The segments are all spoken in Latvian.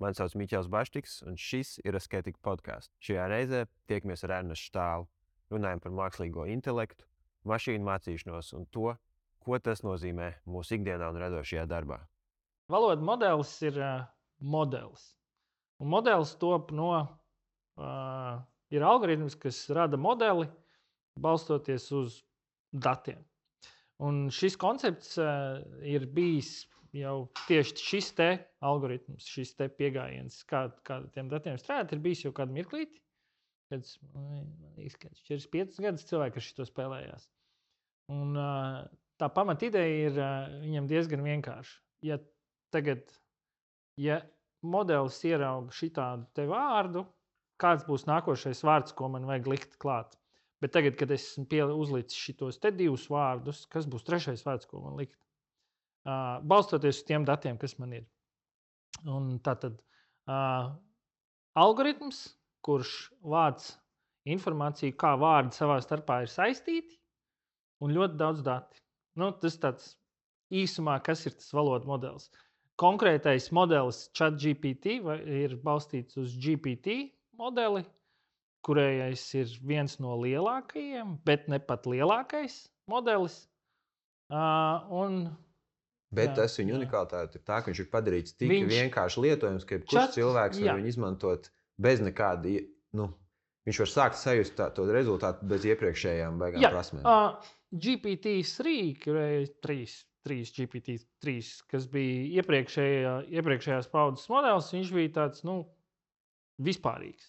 Mani sauc Miķels Baštiks, un šis ir Asketika podkāsts. Šajā reizē tiekamies ar Ernestu Štālu. Runājam par mākslīgo intelektu, mašīnu mācīšanos un to, ko tas nozīmē mūsu ikdienā un radošajā darbā. Valoda modelis ir modelis. Un modelis top no ir algoritms, kas rada modeli, balstoties uz datiem. Un šis koncepts ir bijis jau tieši šis te algoritms, šis te pieejams, kā tiem datiem strādāt, ir bijis jau kādu mirklīti. Kad 4-5 gadus cilvēki ar šito spēlējās. Un tā pamata ideja ir viņam diezgan vienkārša. Ja modelis ierauga šitādu te vārdu, kāds būs nākošais vārds, ko man vajag likt klāt. Bet tagad, kad es uzlicu šitos te divus vārdus, kas būs trešais vārds, ko man likt? Balstoties uz tiem datiem, kas man ir. Un tātad algoritms, kurš vāc informāciju, kā vārdi savā starpā ir saistīti, un ļoti daudz dati. Tas tāds īsumā, kas ir tas valoda modelis. Konkrētais modelis ChatGPT ir balstīts uz GPT modeli, kurējais ir viens no lielākajiem, bet ne pat lielākais modelis. Bet tas viņa unikalitāte ir tā, ka viņš ir padarīts tik vienkārši lietojams, ka kurš cilvēks var viņu izmantot bez nekāda, viņš var sākt sajust to rezultātu bez iepriekšējām baigām prasmēm. GPT-3, kurējais 3 GPT-3, kas bija iepriekšējās paudzes modelis, viņš bija tāds, vispārīgs.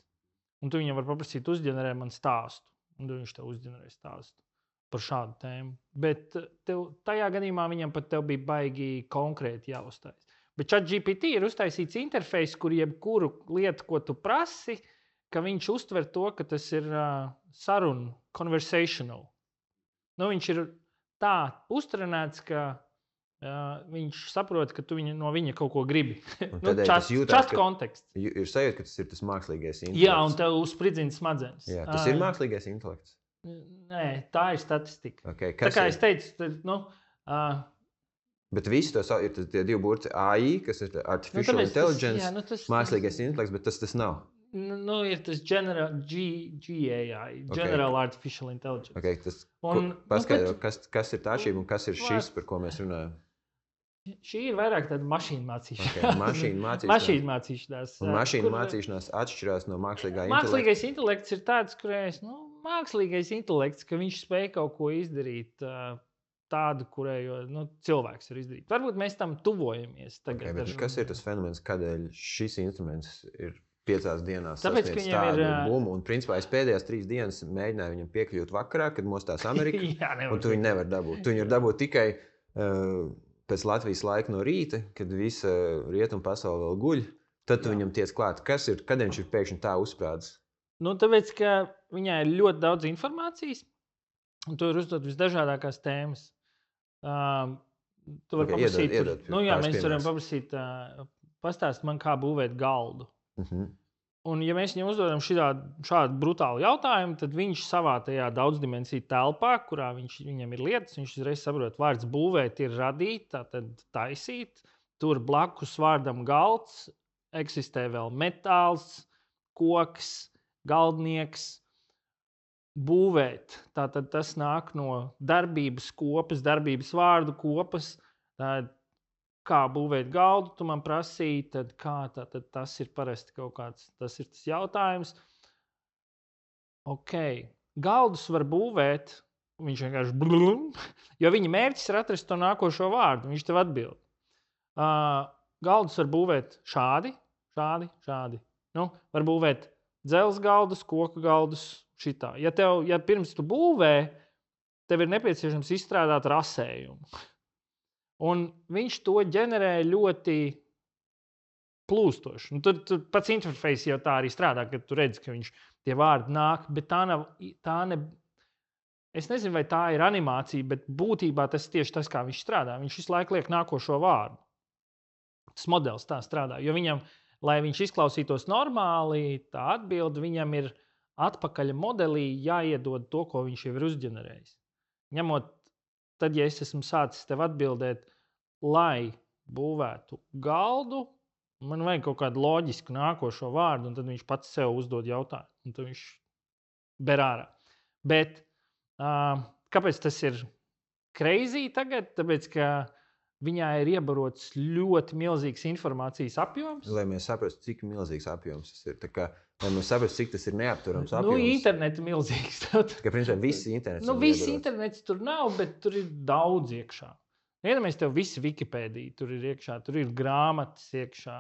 Un tu viņam var paprasīt, uzģenerē man stāstu. Un viņš tev uzģenerē stāstu par šādu tēmu. Bet tajā gadījumā viņam pat tev bija baigi konkrēti jāuzstājas. Bet ChatGPT ir uztaisīts interfejs, kur jebkuru lietu, ko tu prasi, ka viņš uztver to, ka tas ir saruna, conversational. Viņš ir tā uztrenēts, ka viņš saprot, ka tu no viņa kaut ko gribi. Čats konteksts. Ir sajūta, ka tas ir tas mākslīgais intelekts. Jā, un tev uzspridzina smadzenes. Jā, tas ir mākslīgais intelekts. Nē, tā ir statistika. Okay, tā kā es teicu, Bet visi to ir tie divi burti AI, kas ir artificial intelligence, mākslīgais intelekts, bet tas nav. Ir tas GAI, General Artificial Intelligence. Okay, paskaidro, kas ir tā atšķirība un kas ir šis, par ko mēs runājam? Šī ir vairāk tāda mašīnu mācīšanās. Mašīnu mācīšanās. Un mašīnu mācīšanās atšķirās no mākslīgā intelekta. Mākslīgais intelekts ir tāds, kurējais, mākslīgais intelekts, ka viņš spēj kaut ko izdarīt tādu, kurējo cilvēks var izdarīt. Varbūt mēs tam tuvojamies tagad. Okay, kas ir tas fenomens, kādēļ šis instruments ir 5 dienās sasniedz tādu bumu? Un principā es pēdējās 3 dienas mēģināju viņam piekļūt vakarā, kad mostās Amerika, un tu viņu nevar dabūt. Tu viņu var dabūt tikai pēc Latvijas laika no rīta, kad visa rietumu pasaule vēl guļ, tad tu viņam tiec klāt. Kad viņš ir pēkšņi tā uzsprādzis? Tāpēc, ka viņai ir ļoti daudz informācijas, un tu var uzdot visdažādākās tēmas. Tu vari paprasīt, mēs varam paprasīt, pastāst man, kā būvēt galdu. Un ja mēs viņam uzdodam šādu brutālu jautājumu, tad viņš savā tajā daudzdimensiju telpā, kurā viņam ir lietas, viņš uzreiz saprot, vārds būvēt ir radīt, tātad taisīt. Tur blakus vārdam galds eksistē vēl metāls, koks, galdnieks. Būvēt, tātad tas nāk no darbības kopas, darbības vārdu kopas. Kā būvēt galdu, tu man prasīji, tad tas ir parasti kaut kāds, tas ir tas jautājums. Galdus var būvēt, viņš vienkārši jo viņa mērķis ir atrast to nākošo vārdu, viņš tev atbild. Galdus var būvēt šādi. Var būvēt dzelzs galdus, koku galdus, šitā. Ja pirms tu būvē, tev ir nepieciešams izstrādāt rasējumu. Un viņš to ģenerē ļoti plūstoši. Tur pats interfejs jau tā arī strādā, kad tu redzi, ka tie vārdi nāk, bet es nezinu, vai tā ir animācija, bet būtībā tas tieši tas, kā viņš strādā. Viņš visu laiku liek nākošo vārdu. Tas modelis tā strādā, jo viņam, lai viņš izklausītos normāli, tā atbilde, viņam ir atpakaļ modelī jāiedod to, ko viņš jau ir uzģenerējis. Ņemot tad, ja es esmu sācis tev atbildēt, lai būvētu galdu, Man vajag kaut kādu loģisku nākošo vārdu, un tad viņš pats sev uzdod jautājumu. Un tad viņš ber ārā. Bet kāpēc tas ir crazy tagad? Tāpēc, ka viņā ir iebarots ļoti milzīgs informācijas apjoms. Lai mēs saprastu, cik milzīgs apjoms tas ir. Tā kā, lai mēs saprastu, cik tas ir neapturams apjoms. Internets milzīgs. Ka, principā, viss internets viss internets tur nav, bet tur ir daudz iekšā. Iedomājies, tev viss Wikipēdija tur ir iekšā, tur ir grāmatas iekšā.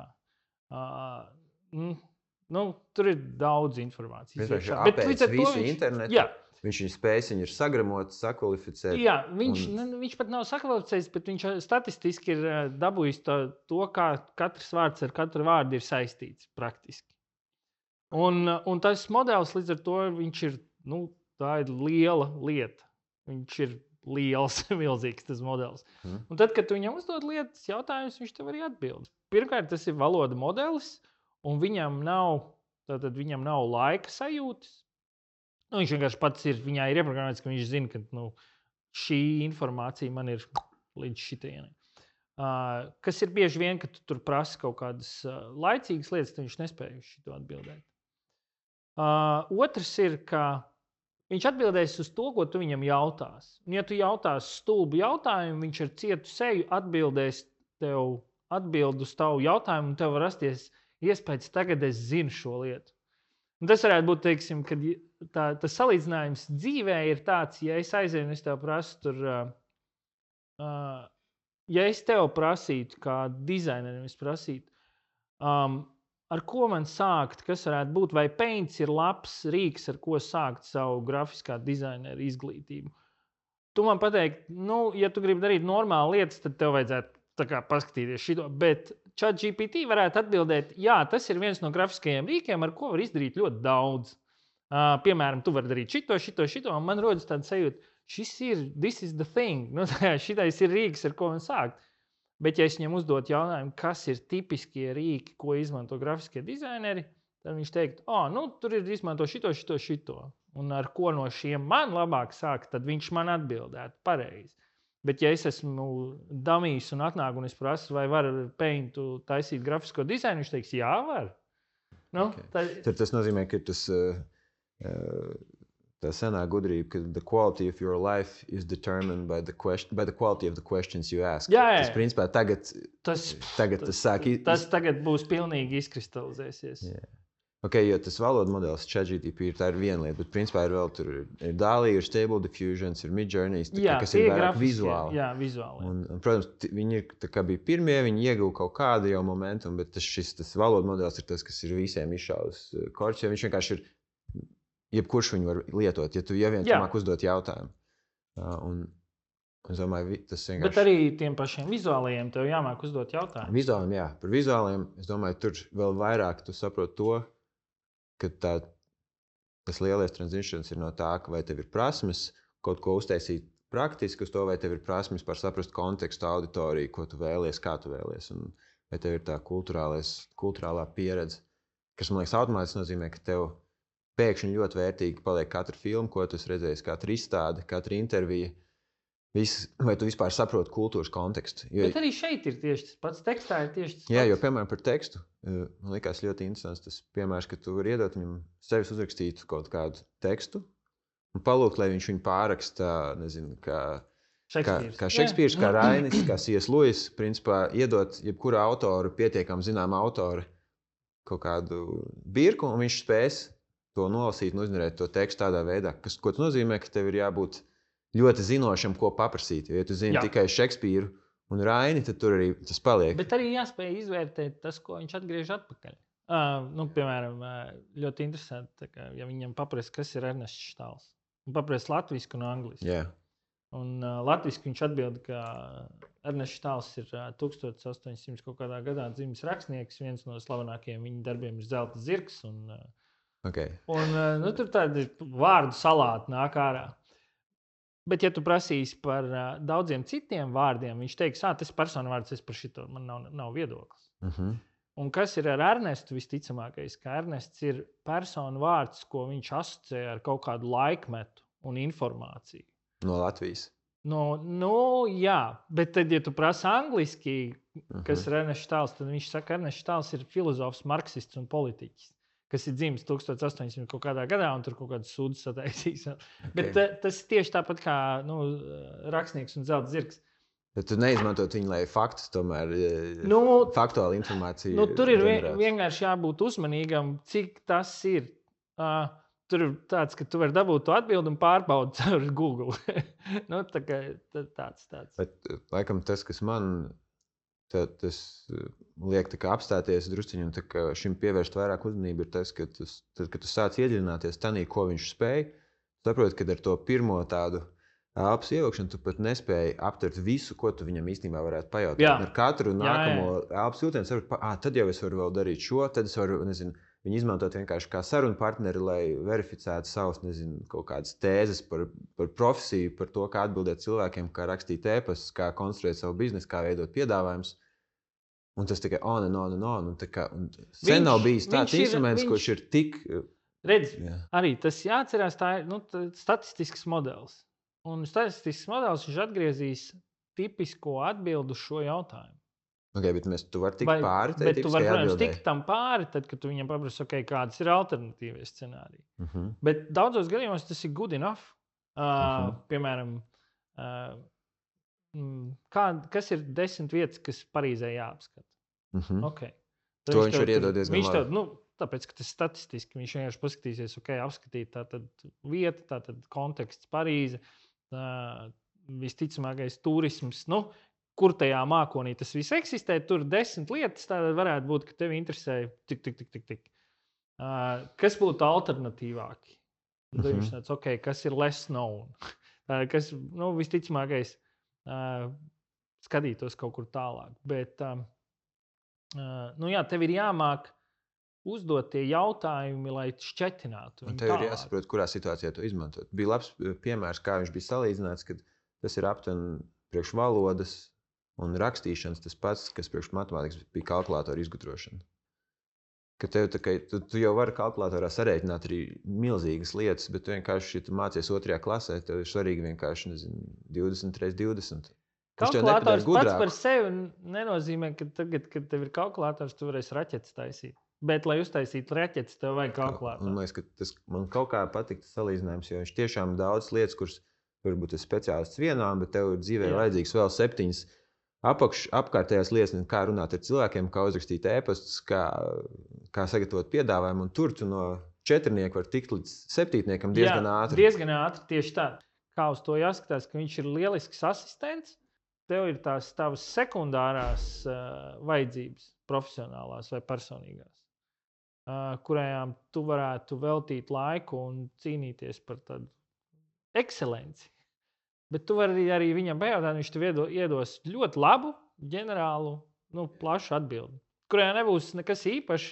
Tur ir daudz informācijas iekšā. Bet līdz ar to internetu, viņš spējas viņu ir sagramot, sakvalificēt. Jā, viņš pat nav sakvalificējis, bet viņš statistiski ir dabūjis to, kā katrs vārds ar katru vārdu ir saistīts praktiski. Un tas modelis līdz ar to viņš ir, tā ir liela lieta. Viņš ir liels, milzīgs tas modelis. Un tad, kad tu viņam uzdod lietas jautājumus, viņš tev arī atbild. Pirmkārt, tas ir valoda modelis, un viņam nav laika sajūtas. Viņš vienkārši pats viņā ir ieprogrammēts, ka viņš zina, ka šī informācija man ir līdz šitienai. Kas ir bieži vien, ka tu tur prasi kaut kādas laicīgas lietas, tad viņš nespēja uz šito atbildēt. Otrs ir, ka viņš atbildēs uz to, ko tu viņam jautās. Un, ja tu jautās stulbu jautājumu, viņš ar cietu seju atbildēs tev atbild uz tavu jautājumu, un tev var rasties iespējas, tagad es zinu šo lietu. Un tas varētu būt, teiksim, kad tas salīdzinājums dzīvē ir tāds, ja es aizēju un es tev prasu tur, ja es tev prasītu, kā dizainerim es prasītu, ar ko man sākt, kas varētu būt, vai Paints ir labs rīks, ar ko sākt savu grafiskā dizainera izglītību. Tu man pateiktu, ja tu gribi darīt normāli lietas, tad tev vajadzētu paskatīties šito, bet ChatGPT varētu atbildēt, jā, tas ir viens no grafiskajiem rīkiem, ar ko var izdarīt ļoti daudz. Piemēram, tu vari darīt šito, un man rodas tāda sajūta, this is the thing, šitais ir rīks, ar ko man sākt. Bet, ja es viņam uzdot jautājumu, kas ir tipiskie rīki, ko izmanto grafiskie dizaineri, tad viņš teikt, tur ir izmanto šito. Un ar ko no šiem man labāk sākt, tad viņš man atbildētu pareizi. Bet, ja es esmu damijs un atnāk un es prasu, vai var ar Paintu taisīt grafisko dizainu, viņš teiks, jā, var. Tad tas nozīmē, ka tā senā gudrība, ka the quality of your life is determined by the quality of the questions you ask. Jā. Tas, principā, tagad tagad būs pilnīgi izkristalizēsies. Yeah. Jo tas valoda modelis ChatGPT tā ir viena lieta, bet principā ir vēl tur ir DALL-E, ir Stable Diffusion, ir Midjourney, kas ir vairāk vizuāli. Jā, vizuāli. Un, protams, viņi bija pirmie, viņi ieguva kaut kādu jau momentu, bet tas valoda modelis ir tas, kas ir visiem izšaus korķis, jo viņš vienkārši ir, jebkurš viņu var lietot, ja tu viens māk uzdot jautājumu. Un es domāju, tas vienkārši... Bet arī tiem pašiem vizuālajiem tev jāmāk uzdot jautājumu. Vizuāliem, jā. Par vizuāliem, es domāju, tur vēl vairāk tu saproti to, ka tas lielais transitions ir no tā, ka vai tev ir prasmes kaut ko uztaisīt praktiski uz to, vai tev ir prasmes par saprast kontekstu, auditoriju, ko tu vēlies, kā tu vēlies, un vai tev ir tā kulturālā pieredze, kas, man liekas, automātiski nozīmē, ka tev pēkšņi ļoti vērtīgi paliek katra filma, ko tu esi redzējis, katra izstāde, katra intervija. Vai tu vispār saproti kultūras kontekstu? Bet arī šeit ir tieši tas pats, tekstā ir tieši tas pats. Jā, jo, piemēram, par tekstu, man likās ļoti interesants tas piemērs, ka tu vari iedot viņam sevis uzrakstīt kaut kādu tekstu un palūgt, lai viņš viņu pārraksta, nezinu, kā Šekspīrs, kā Rainis, kā C.S. Lewis, principā iedot jebkura autoru, pietiekam zinām autoru kaut kādu birku, un viņš spēs to nolasīt un uzņemēt to tekstu tādā veidā, ko tas nozīmē, ka tev ir jābūt ļoti zinošam, ko paprasīt. Ja tu zini tikai Šekspīru un Raini, tad tur arī tas paliek. Bet arī jāspēj izvērtēt tas, ko viņš atgriež atpakaļ. Piemēram, ļoti interesanti, ja viņam paprasa, kas ir Ernests Štāls. Un paprasa latvisku un angliski. Yeah. Un latviski viņš atbild, ka Ernests Štāls ir 1800 kaut kādā gadā dzimis rakstnieks. Viens no slavenākajiem viņa darbiem ir Zelta zirgs. Tur tādi vārdu salāti nāk ārā. Bet, ja tu prasīsi par daudziem citiem vārdiem, viņš teiks, tas ir personu vārds, es par šito, man nav viedoklis. Un kas ir ar Ernestu visticamākais, ka Ernests ir personu vārds, ko viņš asociē ar kaut kādu laikmetu un informāciju. No Latvijas? Jā, bet tad, ja tu prasi angliski, kas ir Ernests Štāls, tad viņš saka, ka Ernests Štāls ir filozofs, marksists un politiķis, kas ir dzimis 1800 kaut kādā gadā un tur kaut kādas sūdzes sataisīs. Bet tas ir tieši tāpat kā rakstnieks un zelta zirgs. Bet tu neizmantot viņu, lai faktus tomēr, faktuāli informāciju. Tur ir vienkārši jābūt uzmanīgam, cik tas ir. Tur ir tāds, ka tu vari dabūt to atbildi un pārbaudi caur Google. Tāds. Bet, laikam, tas, kas man tas liek apstāties drusciņi un šim pievērst vairāk uzmanību, ir tas, ka kad tu sāc iedziļināties tanī, ko viņš spēj, saproti, ka ar to pirmo tādu elpas ievilkšanu tu pat nespēji aptvert visu, ko tu viņam īstenībā varētu pajautāt. Ar katru nākamo elpas jūtienu saproti, tad jau es varu vēl darīt šo, tad es varu, viņu izmantot vienkārši kā sarunu partneri, lai verificētu savus, kaut kādas tēzes par profesiju, par to, kā atbildēt cilvēkiem, kā rakstīt ēpastus, kā konstruēt savu biznesu, kā veidot piedāvājumus. Un tas tikai on. Sen nav bijis tāds instruments, kurš ir tik... Redz, arī tas jāatcerās, tā ir statistisks modelis. Un statistisks modelis viņš atgriezīs tipisko atbildu šo jautājumu. Okay, bet tu vari tikt pāri. Bet tu vari, protams, tikt tam pāri, tad, kad tu viņam paprasti, kādas ir alternatīvie scenāriji. Bet daudzos gadījumos tas ir good enough. Piemēram, kas ir 10 vietas, kas Parīzē jāapskata? Okay. To viņš var iedot diezgan labi. Tāpēc, ka tas statistiski viņš vienkārši paskatīsies, apskatīt tātad vieta, tātad konteksts Parīze, visticamākais turisms, kur tajā mākonī tas viss eksistē, tur 10 lietas, tātad varētu būt, ka tevi interesē tik. Kas būtu alternatīvāki? Tad viņš tāds, kas ir less known? Kas, visticamākais skatītos kaut kur tālāk. Bet, tev ir jāmāk uzdot tie jautājumi, lai šķetinātu. Un tev ir jāsaprot, kurā situācijā to izmantot. Bija labs piemērs, kā viņš bija salīdzināts, kad tas ir aptuveni priekš valodas un rakstīšanas tas pats, kas priekš matemātikas bija kalkulātora izgudrošana. Ka tu jau vari kalkulatorā sarēķināt arī milzīgas lietas, bet tu vienkārši, ja tu mācies 2. klasē, tev ir svarīgi vienkārši, 20 x 20. Kalkulators pats par sevi nenozīmē, ka tagad, kad tev ir kalkulators, tu varēsi raķetes taisīt. Bet, lai uztaisītu raķetes, tev vajag kalkulātoru. Man liekas, ka man kaut kā patīk tas salīdzinājums, jo viņš tiešām daudz lietas, kuras varbūt ir speciālists vienām, bet tev dzīvē vajadzīgs vēl 7 apkārtējās lietas, kā runāt ar cilvēkiem, kā uzrakstīt ēpastus, kā sagatavot piedāvājumu, un tur tu no 4 var tikt līdz 7 diezgan ātri. Diezgan ātri, tieši tā. Kā uz to jāskatās, ka viņš ir lielisks asistents, tev ir tās tavas sekundārās vajadzības, profesionālās vai personīgās, kurajām tu varētu veltīt laiku un cīnīties par tādu ekscelenci. Bet tu vari arī viņam pajautāt, viņš tev iedos ļoti labu, ģenerālu, plašu atbildi, kurajā nebūs nekas īpašs,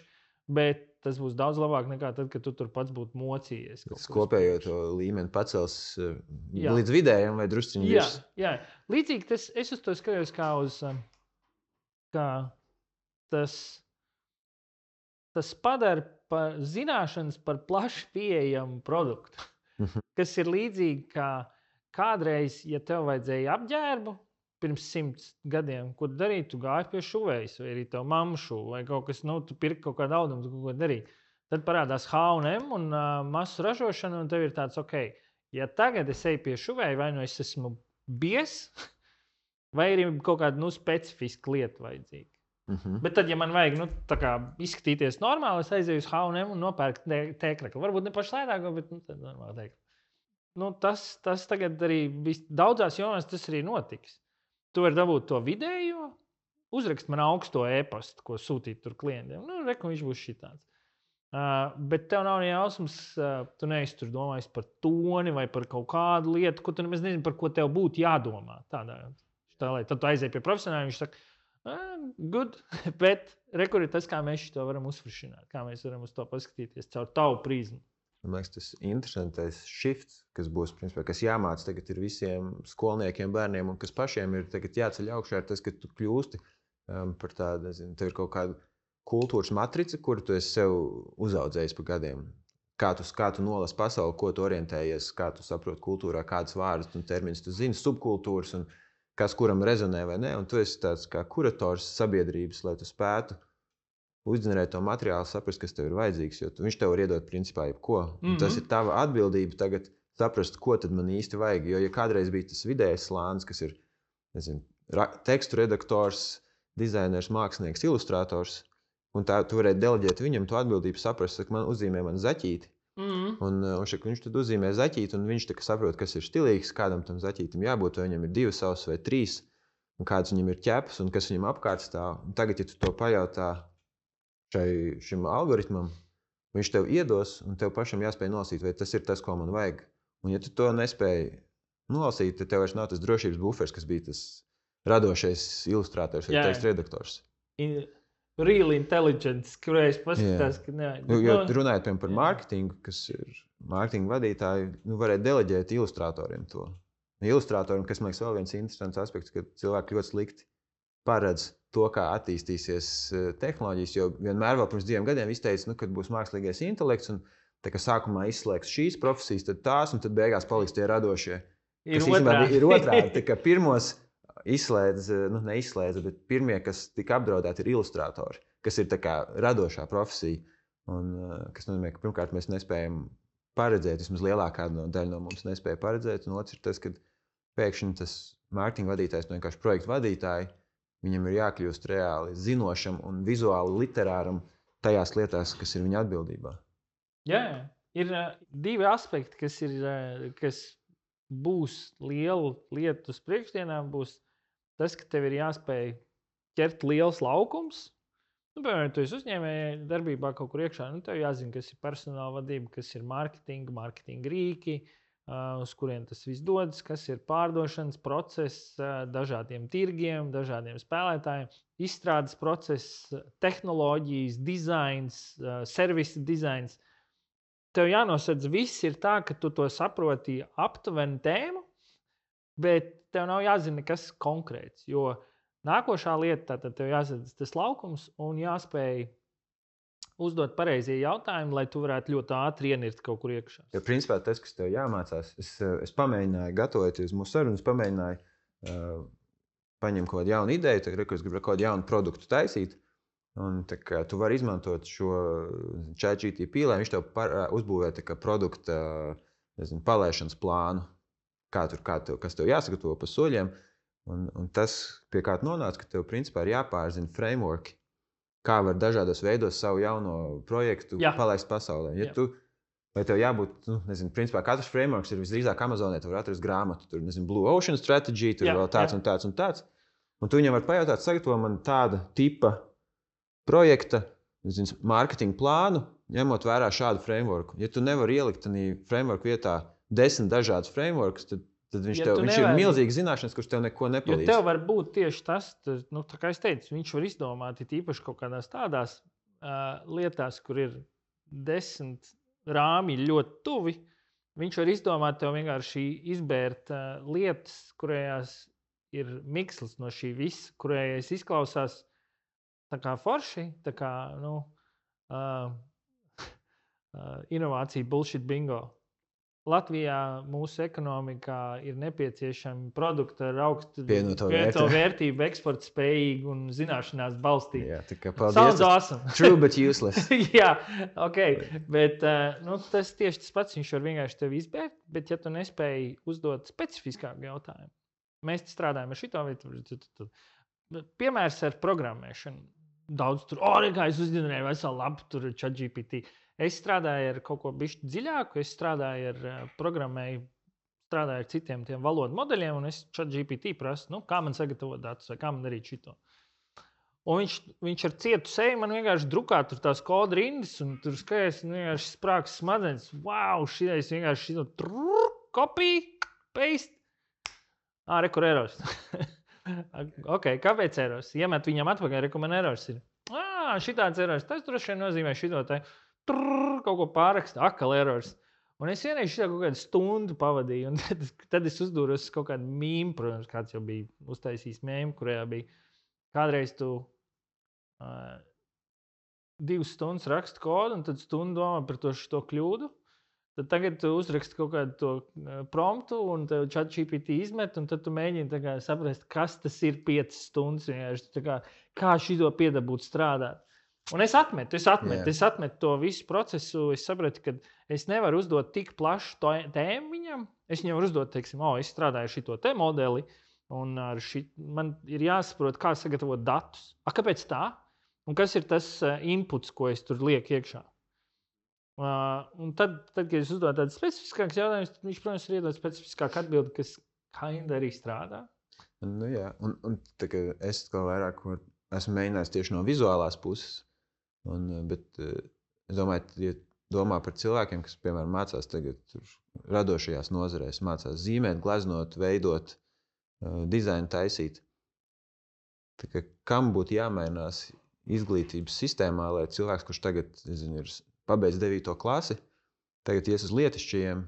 bet tas būs daudz labāk nekā tad, kad tu tur pats būtu mocījies. Tas kopējo to līmeni pacels līdz vidējiem vai drusciņi virs. Jā. Līdzīgi es uz to skatījos kā uz, kā tas padara zināšanas par plaši pieejamu produktu, kas ir līdzīgi kā kādreiz, ja tev vajadzēja apģērbu pirms 100 gadiem, ko darīt, tu gāji pie šuvējas, vai arī tev mamma šuva, vai kaut kas, tu pirki kaut kādu audumu, tu kaut ko darīt. Tad parādās H&M un masu ražošana, un tev ir tāds, ja tagad es eju pie šuvēja, vai es esmu bies, vai arī kaut kāda, specifiska lieta vajadzīga. Bet tad, ja man vajag, izskatīties normāli, es aizēju uz H&M un nopērku tēkraklu. Varbūt ne pašu lētāko, bet tad normāli tēkraklu. Tas tagad arī daudzās jomās tas arī notiks. Tu vari dabūt to vidējo, uzrakst man augsto e-pastu, ko sūtīt tur klientiem. Reku, viņš būs šitāds. Bet tev nav jausmas, tu neesi tur domājis par toni vai par kaut kādu lietu, ko tu nemaz nezini, par ko tev būtu jādomā. Tad tu aizēji pie profesionāļa, viņš saka, good, bet reku ir tas, kā mēs to varam uzfrišināt, kā mēs varam uz to paskatīties caur tavu prizmu. Man liekas, tas interesantais shifts, kas būs, principā, kas jāmāc tagad ir visiem skolniekiem, bērniem un kas pašiem ir tagad jāceļ augšā, ir tas, ka tu kļūsti par tādu, tev ir kaut kāda kultūras matrica, kuru tu esi sev uzaudzējis pa gadiem. Kā tu nolasi pasauli, ko tu orientējies, kā tu saproti kultūrā, kādas vārdas un terminus tu zini, subkultūras un kas kuram rezonē vai nē, un tu esi tāds kā kurators sabiedrības, lai tu spētu uzģenerēt to materiālu, saprast, kas tev ir vajadzīgs, jo viņš tev var iedot principā jebko. Tas ir tava atbildība tagad saprast, ko tad man īsti vajag. Jo, ja kādreiz bija tas vidējais slānis, kas ir, nezinu, tekstu redaktors, dizainers, mākslinieks, ilustrators, un tā tu varēji deleģēt viņam to atbildību, saprast, ka man uzzīmē man zaķīti. Un viņš tad uzzīmē zaķīti, un viņš saprot, kas ir stilīgs, kādam tam zaķītim jābūt, vai viņam ir 2 savas vai 3, un kāds viņam ir ķeps, un kas viņam apkārt stāv. Un tagad, ja tu to pajautā šim algoritmam, viņš tev iedos, un tev pašam jāspēj nolasīt, vai tas ir tas, ko man vajag. Un ja tu to nespēji nolasīt, tad tev vairs nav tas drošības bufers, kas bija tas radošais ilustrators vai tekstu redaktors. Real intelligence, kurai es paskatās, ka nē. Jo runājot par mārketingu, kas ir mārketinga vadītāji, varēja deleģēt ilustratoriem to. Ilustratoriem, kas man liekas vēl viens interesants aspekts, ka cilvēki ļoti slikti paredz to, kā attīstīsies tehnoloģijas, jo vienmēr vēl pirms 2 gadiem izteica, kad būs mākslīgais intelekts, un tā kā sākumā izslēgs šīs profesijas, tad tās, un tad beigās paliks tie radošie. Ir otrādi. Tā kā pirmos neizslēdza, bet pirmie, kas tika apdraudēti, ir ilustratori, kas ir tā kā radošā profesija. Un, kas nozīmē, ka pirmkārt mēs nespējam paredzēt, vismaz lielākā daļa no mums nespēja paredzēt, un otrs ir tas, ka pēkšņi tas mārketinga vadītājs, vienkārši projektu vadītāji, viņam ir jākļūst reāli zinošam un vizuāli literāram tajās lietās, kas ir viņa atbildībā. Jā, ir 2 aspekti, kas būs liela lieta uz priekšdienām, būs tas, ka tev ir jāspēj ķert liels laukums. Piemēram, tu esi uzņēmēji darbībā kaut kur iekšā, tev jāzina, kas ir personāla vadība, kas ir mārketinga rīki, uz kuriem tas viss dodas, kas ir pārdošanas process dažādiem tirgiem, dažādiem spēlētājiem, izstrādes process, tehnoloģijas, dizains, servisa dizains. Tev jānosedz viss ir tā, ka tu to saproti aptuveni tēmu, bet tev nav jāzina nekas konkrēts, jo nākošā lieta, tad tev jāsadz tas laukums un jāspēj uzdot pareizie jautājumi, lai tu varētu ļoti ātri ienirt kaut kur iekšā. Ja principā tas, kas tev jāmācās, es pamēģināju, gatavoties mūsu sarunu, es pamēģināju paņemt kaut kādu jaunu ideju, tagad, es gribu kaut kādu jaunu produktu taisīt, un tā kā tu vari izmantot šo ChatGPT, lai viņš tev uzbūvē tā kā produkta, palaišanas plānu, kas tev jāsagatavo pa soļiem. Un tas, pie kā tu nonāc, ka tev principā ir jāpārzina frameworki, kā var dažādos veidos savu jauno projektu palaist pasaulē. Vai tev jābūt, principā katrs frameworks ir visdrīzāk Amazonē, tu var atrast grāmatu, tur, Blue Ocean Strategy, tur vēl tāds un tāds un tāds. Un tu viņam var pajautāt, sagatavo man tāda tipa projekta, mārketinga plānu, ņemot vērā šādu frameworku. Ja tu nevari ielikt frameworku vietā 10 dažādus frameworks, tad viņš ir milzīgs zināšanas, kurš tev neko nepalīdz. Jo tev var būt tieši tas, tā kā es teicu, viņš var izdomāt īpaši kaut kādās tādās lietās, kur ir 10 rāmi ļoti tuvi. Viņš var izdomāt tev vienkārši izbērt lietas, kurējās ir mikslis no šī visa, kurējās izklausās tā kā forši, tā kā inovācija bullshit bingo. Latvijā mūsu ekonomikā ir nepieciešami produkti ar augstu pievienoto vērtību, eksporta spējīgi un zināšanās balstīti. Jā, tā kā paldies. Awesome. True, but useless. Jā, ok. Bet tas tieši tas pats, viņš var vienkārši tevi izbērt, bet ja tu nespēji uzdot specifiskāku jautājumu, mēs strādājam ar šito vietu. Piemērs ar programmēšanu. Daudz tur, es uzģenerēju veselu labu tur ChatGPT. Es strādāju ar kaut ko bišķi dziļāku, es strādāju ar programmēju, strādāju ar citiem tiem valodu modeļiem, un es ChatGPT prasu, kā man sagatavot datus, vai kā man darīt šito. Un viņš ar cietu seju man vienkārši drukā tur tās kodu rindas, un tur skaties, vienkārši sprāks smadzenes. Wow, šitais vienkārši šito copy, paste. Rekur errors. Ok, kāpēc errors? Iemet viņam atpakaļ, reku man errors ir. Šitāds errors, tas droši vien nozīmē šito te. Kaut ko pārraksta, akal errors. Un es vienreiz šitā kaut kādu stundu pavadīju, un tad es uzdūros kaut kādu mīmu, protams, kāds jau bija uztaisījis mīmu, kurajā bija kādreiz tu 2 stundas rakstu kodu, un tad stundu domā par to kļūdu, Tad tagad tu uzraksti kaut kādu to promptu, un tev ChatGPT izmet, un tad tu mēģini saprast, kas tas ir 5 stundas. Kā šito piedabūt strādāt. Un es atmetu to visu procesu. Es sapratu, ka es nevaru uzdot tik plašu tēmu viņam. Es viņam varu uzdot, teiksim, es strādāju ar šito te modeli, un man ir jāsaprot, kā sagatavot datus. Kāpēc tā? Un kas ir tas inputs, ko es tur lieku iekšā? Un tad, kad es uzdodu tādu specifiskāku jautājumu, tad viņš, protams, ir iedod specifiskāku atbildi, kas kinda arī strādā. Nu, jā, un tā kā es kaut vairāk esmu mēģinājis tieši no vizuālās puses, bet es domāju, ja domā par cilvēkiem, kas, piemēram, mācās tagad radošajās nozarēs, mācās zīmēt, gleznot, veidot, dizainu taisīt. Tā kā kam būtu jāmainās izglītības sistēmā, lai cilvēks, kurš tagad, ir pabeidz 9. klasi, tagad ies uz lietišķajiem,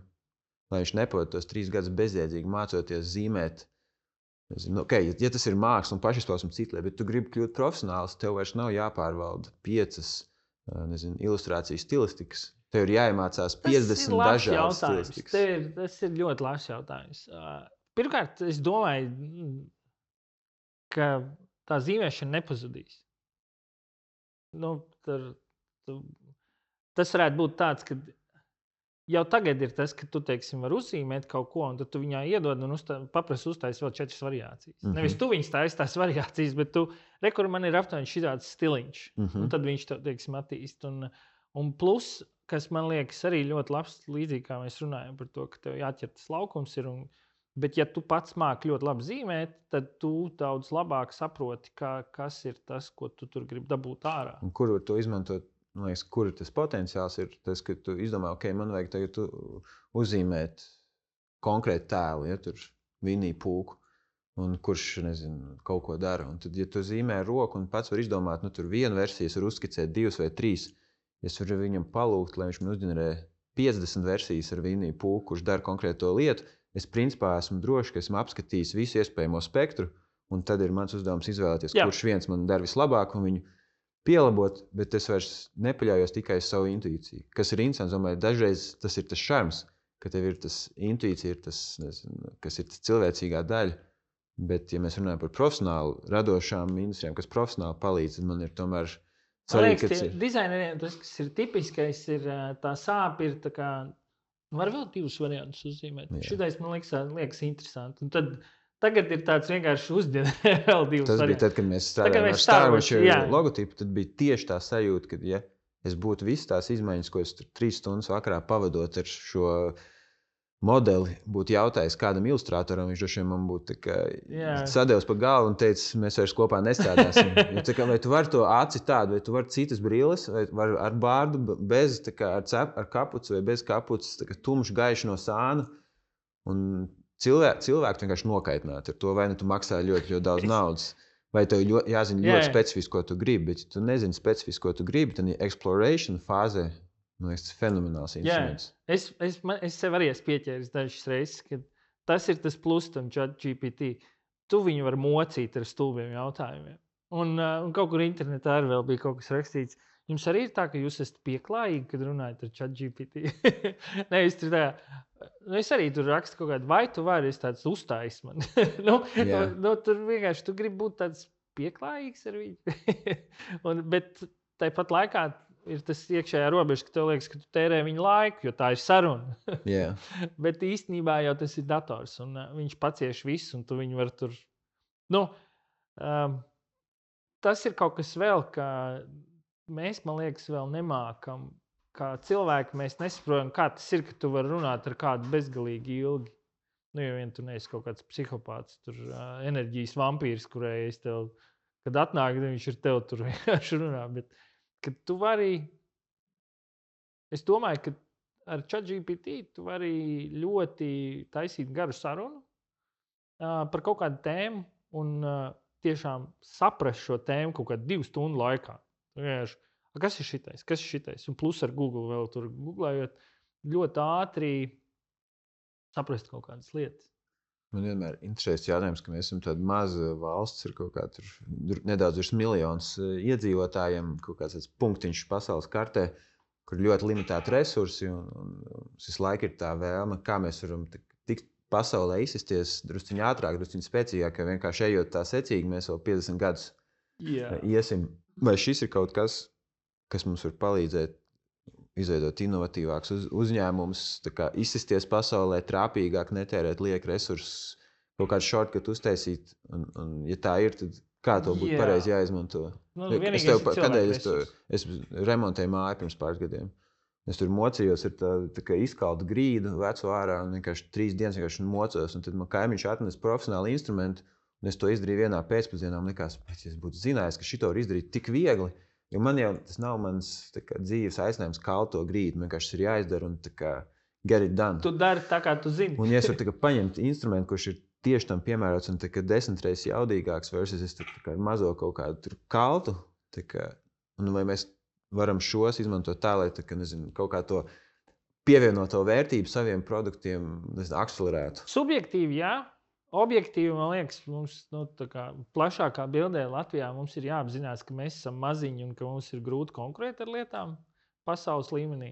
lai viņš nepavada tos 3 gadus bezjēdzīgi mācoties zīmēt. Ja tas ir māksla un pašizpausme citlē, bet tu gribi kļūt profesionāls, tev vairs nav jāpārvalda 5 ilustrācijas stilistikas. Tev ir jāiemācās 50 dažādas stilistikas. Tas ir ļoti labs jautājums. Pirmkārt, es domāju, ka tā zīmēšana nepazudīs. Tas varētu būt tāds, ka jau tagad ir tas, ka tu, teiksim, var uzzīmēt kaut ko, un tad tu viņā iedod un paprasti uztaisi vēl 4 variācijas. Nevis tu viņas taisi tās variācijas, bet tu, kur man ir aptuveni šitāds stiliņš, un tad viņš to, teiksim, attīst. Un plus, kas man liekas arī ļoti labs, līdzīgi kā mēs runājam par to, ka tev jāķer tas laukums ir, bet ja tu pats māki ļoti labi zīmēt, tad tu daudz labāk saproti, kas ir tas, ko tu tur gribi dabūt ārā. Un kur var to izmantot? Man liekas, kur tas potenciāls ir tas, ka tu izdomā, man vajag tagad uzzīmēt konkrētu tēlu, ja tur Winnie Poohu, un kurš, kaut ko dara. Un tad, ja tu zīmē ar roku un pats var izdomāt, tur vienu versiju, var uzskicēt 2 vai 3, es varu viņam palūgt, lai viņš man uzģenerē 50 versijas ar Winnie Poohu, kurš dara konkrēto lietu. Es principā esmu drošs, ka esmu apskatījis visu iespējamo spektru, un tad ir mans uzdevums izvēlēties, kurš viens man dara vislabāk un viņu pielabot, bet es vairs nepaļaujos tikai uz savu intuīciju. Kas ir interesants, domāju, dažreiz tas ir tas šarms, ka tev ir tas intuīcija, kas ir tas cilvēcīgā daļa, bet, ja mēs runājam par profesionālu, radošām industrijām, kas profesionāli palīdz, tad man ir tomēr svarīgi, ka dizaineriem tas, kas ir tipiskais, ir tā sāpe, ir tā kā, var vēl 2 variantus uzzīmēt. Šitais man liekas interesanti. Un tad tagad ir tāds vienkārši uzģenerē vēl 2 variantus. Tas bija tad, kad mēs strādājām ar Star Wars logotipu, tad bija tieši tā sajūta, ka, ja es būtu visas tās izmaiņas, ko es 3 stundas vakarā pavadot ar šo modeli, būtu jautājis kādam ilustrātoram, viņš droši vien man būtu sadevis pa galvu un teicis, mēs vairs kopā nestrādāsim. Vai tu vari to aci tādu, vai tu vari citas brilles, vai vari ar bārdu, bez, ar kapuci vai bez kapucis, tumšs gaišs no sāna. Un cilvēku vienkārši nokaitināt ar to, vai tu maksā ļoti, ļoti daudz naudas, vai tev jāzina ļoti specifiski, ko tu gribi, bet ja tu nezini specifiski, ko tu gribi, tad exploration fāzē, man liekas, tas fenomenāls instruments. Es sev arī esmu pieķēris dažas reizes, ka tas ir tas plus tam ChatGPT. Tu viņu var mocīt ar stulbiem jautājumiem. Un kaut kur internetā arī vēl bija kaut kas rakstīts. Jums arī ir tā, ka jūs esat pieklājīgi, kad runājat ar ChatGPT? Es arī tur rakstu kaut kādu, vai tu vari, es tāds uzstājis man. Tur vienkārši tu gribi būt tāds pieklājīgs ar viņu. Bet tāpat laikā ir tas iekšējā robeža, ka tev liekas, ka tu tērē viņu laiku, jo tā ir saruna. Bet īstenībā jau tas ir dators, un viņš pacieš visu, un tu viņu var tur... Tas ir kaut kas vēl, ka mēs, man liekas, vēl nemākam, kā cilvēki, mēs nesaprotam, kā tas ir, ka tu vari runāt ar kādu bezgalīgi ilgi. Ja vien tu neesi kaut kāds psihopāts, tur enerģijas vampīrs, kurai es tev, kad atnāk, viņš ir tev tur vienkārši runā, bet kad tu vari, es domāju, ka ar ChatGPT tu vari ļoti taisīt garu sarunu par kaut kādu tēmu un tiešām saprast šo tēmu kaut kādu 2 stundu laikā. Kas ir šitais? Un plus ar Google vēl tur googlējot, ļoti ātri saprast kaut kādas lietas. Man vienmēr interesēs jautājums, ka mēs esam tāda maza valsts, ir kaut kā tur nedaudz virs 1 miljons iedzīvotājiem, kaut kāds punktiņš pasaules kartē. kur ļoti limitēti resursi, un visu laiku ir tā vēlme, kā mēs varam tikt pasaulē izsisties drusciņ ātrāk, drusciņ spēcīgāk, jo vienkārši ejot tā secīgi, mēs vēl 50 gadus iesim. Vai šis ir kaut kas, kas mums var palīdzēt izveidot inovatīvāks uzņēmums, izsisties pasaulē, trāpīgāk, netērēt lieku resursus, kaut kādu shortcut uztaisīt, un ja tā ir, tad kā to būtu pareizi jāizmanto? Es remontēju māju pirms pāris gadiem. Es tur mocījos ar tā izkaltu grīdu, vecu ārā, un vienkārši 3 dienas vienkārši mocos, un tad man kaimiņš atnes profesionāli instrumentu, un es to izdarīju vienā pēcpusdienā, un likās, ja es būtu zinājis, ka šito var izdarīt tik viegli, jo man jau tas nav mans dzīves aicinājums kalto grīdu, man vienkārši ir jāizdara un get it done. Tu dari tā, kā tu zini. Un ja es varu paņemt instrumentu, kurš ir tieši tam piemērots un 10 reizes jaudīgāks versus es mazo kaut kādu kaltu, un vai mēs varam šos izmantot tā, lai kaut kā to pievienoto vērtību saviem produktiem akcelerētu. Subjektīvi, jā. Objektīvi, man liekas, mums plašākā bildē Latvijā mums ir jāapzinās, ka mēs esam maziņi un ka mums ir grūti konkurēt ar lietām pasaules līmenī.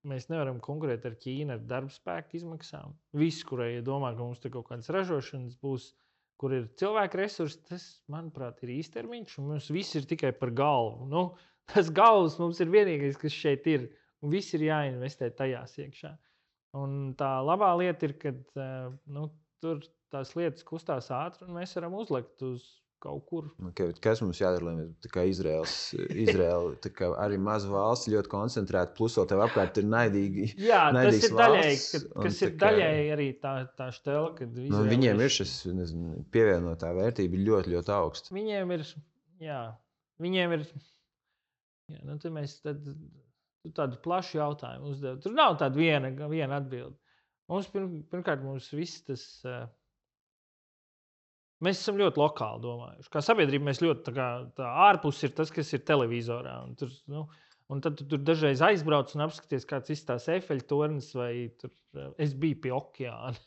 Mēs nevaram konkurēt ar Ķīnu, ar darbspēku izmaksām. Viss, kurai domā, ka mums te kaut kādas ražošanas būs, kur ir cilvēku resursi, tas, manuprāt, ir īstermiņš, un mums viss ir tikai par galvu. Nu, tas galvas mums ir vienīgais, kas šeit ir, un viss ir jāinvestē tajās iekšā. Un tā labā lieta ir, ka tur tās lietas kustās ātri, un mēs varam uzlikt uz kaut kur. Okay, kas mums jādara, lai mēs Izraela arī maza valsts ļoti koncentrēta, plus vēl tev apkārt ir naidīgi. Jā, tas ir daļēji, kas ir daļēji arī tā štela, kad viņiem ir šis pievienotā vērtība ļoti, ļoti augsta. Viņiem ir, tad mēs tādu plašu jautājumu uzdev. Tur nav tāda viena atbilde. Pirmkārt, mums viss tas... Mēs esam ļoti lokāli domājuši. Kā sabiedrība mēs ļoti tā ārpus ir tas, kas ir televizorā. Un tad tu tur dažreiz aizbrauc un apskaties, kāds izstās Eifelļa tornis vai tur, es biju pie okeāna.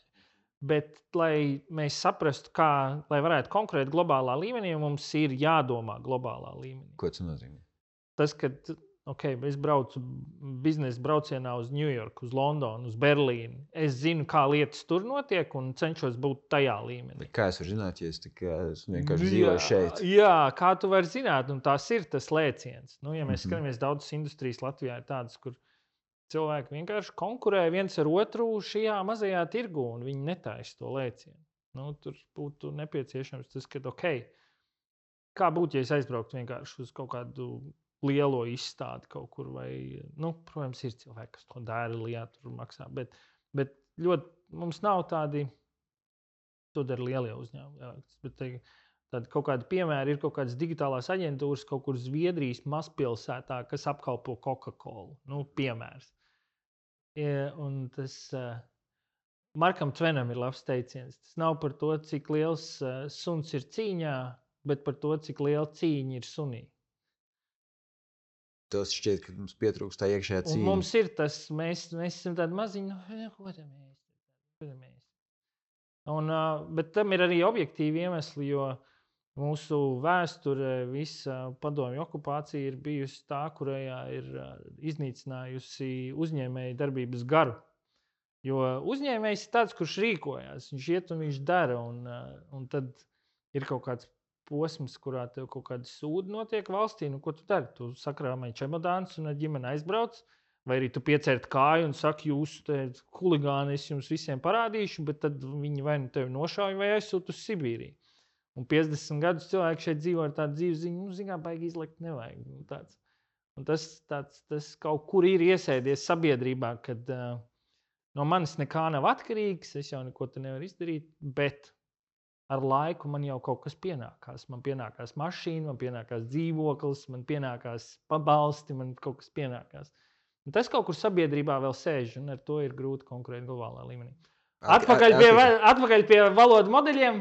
Bet, lai mēs saprastu, lai varētu konkurēt globālā līmenī, mums ir jādomā globālā līmenī. Ko tas nozīmē? Tas, ka es braucu biznesa braucienā uz New York, uz Londonu, uz Berlīnu. Es zinu, kā lietas tur notiek un cenšos būt tajā līmenī. Kā es varu zināt, ja es vienkārši dzīvoju šeit? Jā, kā tu vari zināt, un tās ir tas lēciens. Ja mēs skatāmies, daudzas industrijas Latvijā ir tādas, kur cilvēki vienkārši konkurē viens ar otru šajā mazajā tirgu, un viņi netaisa to lēcienu. Tur būtu nepieciešams tas, ka, kā būtu, ja es aizbrauktu vienkārši uz kaut kādu lielo izstādi kaut kur, vai, protams, ir cilvēki, kas to dara, lietā tur maksā, bet ļoti mums nav tādi, to dara lielie uzņēmumi, bet tādi kaut kādi piemēri ir kaut kādas digitālās aģentūras kaut kur Zviedrijas mazpilsētā, kas apkalpo Coca-Colu, piemērs. Un tas Markam Tvenam ir labs teiciens. Tas nav par to, cik liels suns ir cīņā, bet par to, cik liela cīņa ir sunī. Tas šķiet, ka mums pietrūkst tā iekšējā cīņa. Un mums ir tas, mēs esam tādi maziņi, bet tam ir arī objektīvi iemesli, jo mūsu vēsture, visa padomju okupācija ir bijusi tā, kurajā ir iznīcinājusi uzņēmēju darbības garu. Jo uzņēmējs ir tāds, kurš rīkojās, viņš iet un viņš dara, un tad ir kaut kāds posms, kurā tev kaut kāda sūda notiek valstī, ko tu dari? Tu sakrāmēji čemodāns un ar ģimeni aizbrauc, vai arī tu piecērt kāju un saki, jūs te huligāni, es jums visiem parādīšu, bet tad viņi vai nu tevi nošauj vai aizsūt uz Sibīriju. Un 50 gadus cilvēki šeit dzīvo ar tādu dzīvesziņu, zinām, baigi izlikt nevajag. Un tas kaut kur ir iesēdies sabiedrībā, kad no manis nekā nav atkarīgs, es jau neko te nevaru izdarīt, bet ar laiku man jau kaut kas pienākās. Man pienākās mašīna, man pienākās dzīvoklis, man pienākās pabalsti, man kaut kas pienākās. Un tas kaut kur sabiedrībā vēl sēž, un ar to ir grūti konkurēt globālā līmenī. Atpakaļ pie valodu modeļiem.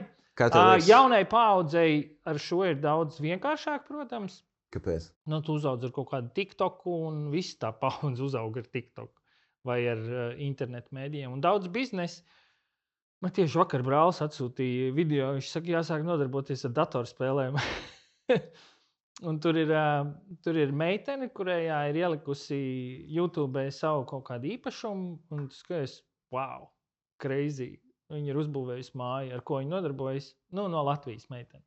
Jaunai paaudzei ar šo ir daudz vienkāršāk, protams. Kāpēc? Tu uzaudz ar kaut kādu TikToku, un viss tā paudze uzaug ar TikToku vai ar internetu mēdījiem. Un daudz biznesa. Man tieši vakar brālis atsūtīja video, viņš saka, jāsāk nodarboties ar datorspēlēm. Un tur ir meitene, kurējā ir ielikusi YouTube savu kaut kādu īpašumu, un tu skaties, wow, crazy. Viņa ir uzbūvējusi māju, ar ko viņa nodarbojas. No Latvijas meitene.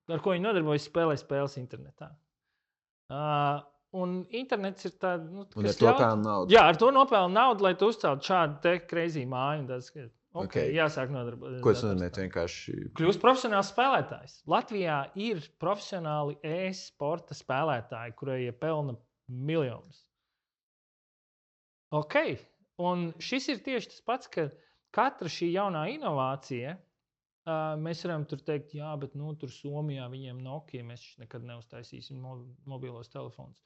Ar ko viņa nodarbojas, spēlē spēles internetā. Un internets ir tāds, un ar to pelna naudu. Jā, ar to nopelna naudu, lai tu uzceltu šādu te crazy māju. Okay. Jāsāk nodarboties. Ko tas nozīmē? Vienkārši kļūst profesionāls spēlētājs. Latvijā ir profesionāli e-sporta spēlētāji, kurie pelna miljonus. Ok. Un šis ir tieši tas pats, ka katra šī jaunā inovācija, mēs varam tur teikt, jā, bet tur Somijā viņiem Nokia, mēs nekad neuztaisīsim mobilos telefonus.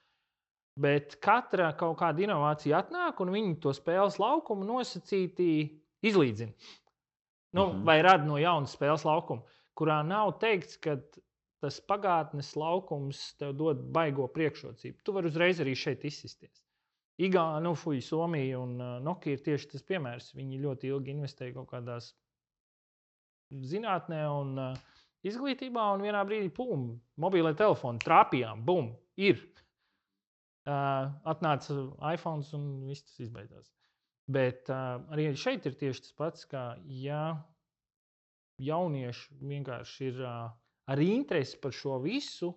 Bet katra kaut kāda inovācija atnāk, un viņi to spēles laukumu nosacītī izlīdzina. Vai rada no jauna spēles laukuma, kurā nav teikts, ka tas pagātnes laukums tev dod baigo priekšrocību. Tu vari uzreiz arī šeit izsisties. Somija un Nokia ir tieši tas piemērs. Viņi ļoti ilgi investēja kaut kādās zinātnē un izglītībā, un vienā brīdī, mobilē telefoni trāpījām, ir. Atnāca iPhones un viss tas izbeidzās. Bet arī šeit ir tieši tas pats, ka jaunieši vienkārši ir ar interesi par šo visu,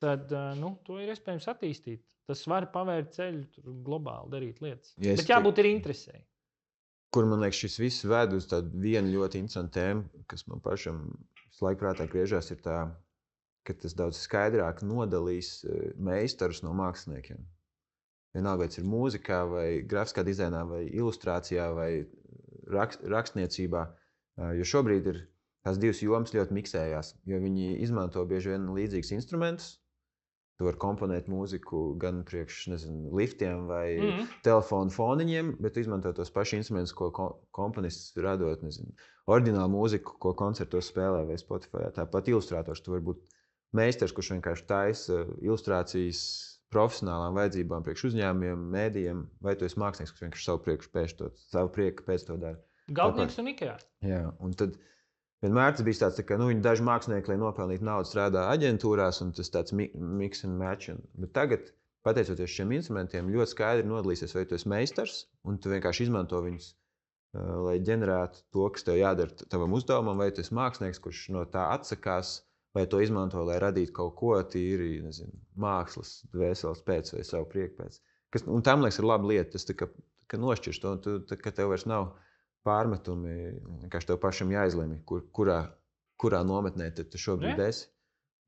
tad to ir iespējams attīstīt. Tas var pavērt ceļu globāli darīt lietas. Bet jābūt ir interesei. Kur, man liekas, šis viss ved uz tādu vienu ļoti interesantu tēmu, kas man pašam laiku prātā griežās, ir tā, ka tas daudz skaidrāk nodalīs meistarus no māksliniekiem. Vienalga, vai tas ir mūzikā, vai grafiskā dizainā, vai ilustrācijā, vai rakstniecībā. Jo šobrīd ir tās divas jomas ļoti miksējās, jo viņi izmanto bieži vien līdzīgus instrumentus. Tu vari komponēt mūziku gan priekš, liftiem vai telefonu foniņiem, bet tu izmanto tos pašus instrumentus, ko komponists radot, oriģinālu mūziku, ko koncertos spēlē vai Spotify. Tāpat ilustrātors, tu vari būt meistars, kurš vienkārši taisa ilustrācijas profesionālām vajadzībām priekš uzņēmumiem, mēdījiem, vai tu esi mākslinieks, kas vienkārši savu prieku pēc to dara. Galvnieks un Ikea. Jā, un tad vienmēr tas bija tāds, ka daži mākslinieki, lai nopelnītu naudu, strādā aģentūrās, un tas tāds mix and match. Bet tagad, pateicoties šiem instrumentiem, ļoti skaidri nodalīsies, vai tu esi meistars, un tu vienkārši izmanto viņus, lai ģenerētu to, kas tev jādara tavam uzdevumam, vai tu esi mākslinieks, kurš no tā atsakās, vai to izmanto, lai radītu kaut ko tīri, mākslas, dvēseles pēc vai savu prieku pēc. Un tam, liekas, ir laba lieta. Tas ka nošķirs to, ka tev vairs nav pārmetumi, vienkārši tev pašam jāizlemj, kurā nometnē tu šobrīd esi.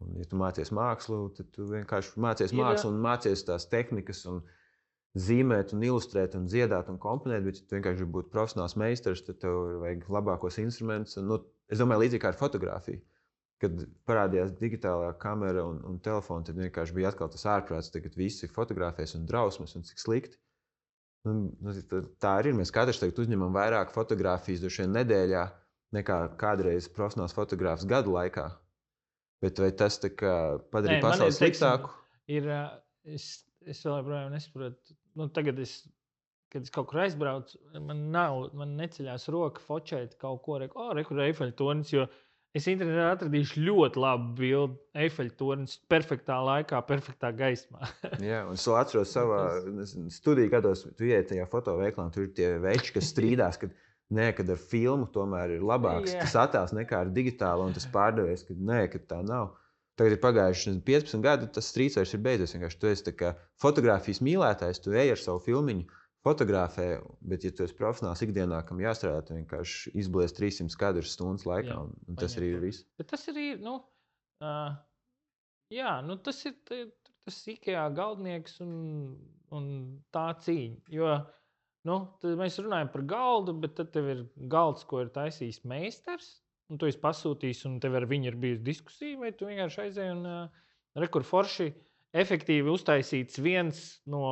Un, ja tu mācies mākslu, tad tu vienkārši mācies mākslu un mācies tās tehnikas un zīmēt un ilustrēt un dziedāt un komponēt, bet ja tu vienkārši gribi būt profesionāls meistars, tad tev vajag labākos instrumentus. Es domāju, līdzīgi kā ar fotografiju. Kad parādījās digitālā kamera un telefona, tad vienkārši bija atkal tas ārprāts, tagad visi fotografēs un drausmas un cik slikti. Tā arī ir. Mēs katrs tagad uzņemam vairāk fotografijas droši vien nedēļā nekā kādreiz profesionāls fotogrāfs gadu laikā. Bet vai tas padarīja pasauli sliktāku? Es vēl joprojām nesaprotu. Tagad kad es kaut kur aizbraucu, man neceļās roka fočēt kaut ko, kur Eifeļa tornis, jo es internetā atradīšu ļoti labu bildi. Eifeļa tornis perfektā laikā, perfektā gaismā. Jā, un es atceros savā studiju gados, tu ieiet tajā fotoveiklā, tur ir tie veči, kas strīdās, kad ar filmu tomēr ir labāks tas attēls nekā ar digitālo, un tas pārdevējs, ka tā nav. Tagad ir pagājuši 15 gadi, tas strīds vairs ir beidzies. Vienkārši tu esi fotogrāfijas mīlētājs, tu ej ar savu filmiņu, fotografē, bet, ja tu esi profesionāls ikdienā, kam jāstrādā, tu vienkārši izblies 300 kadrus stundas laikā, un tas arī ir viss. Bet tas arī, tas ir tas Ikea galdnieks un tā cīņa. Jo, tad mēs runājam par galdu, bet tad tev ir galds, ko ir taisījis meistars, un tu esi pasūtījis, un tev ar viņu ir bijusi diskusija, vai tu vienkārši aizēji un rekur forši efektīvi uztaisīts viens no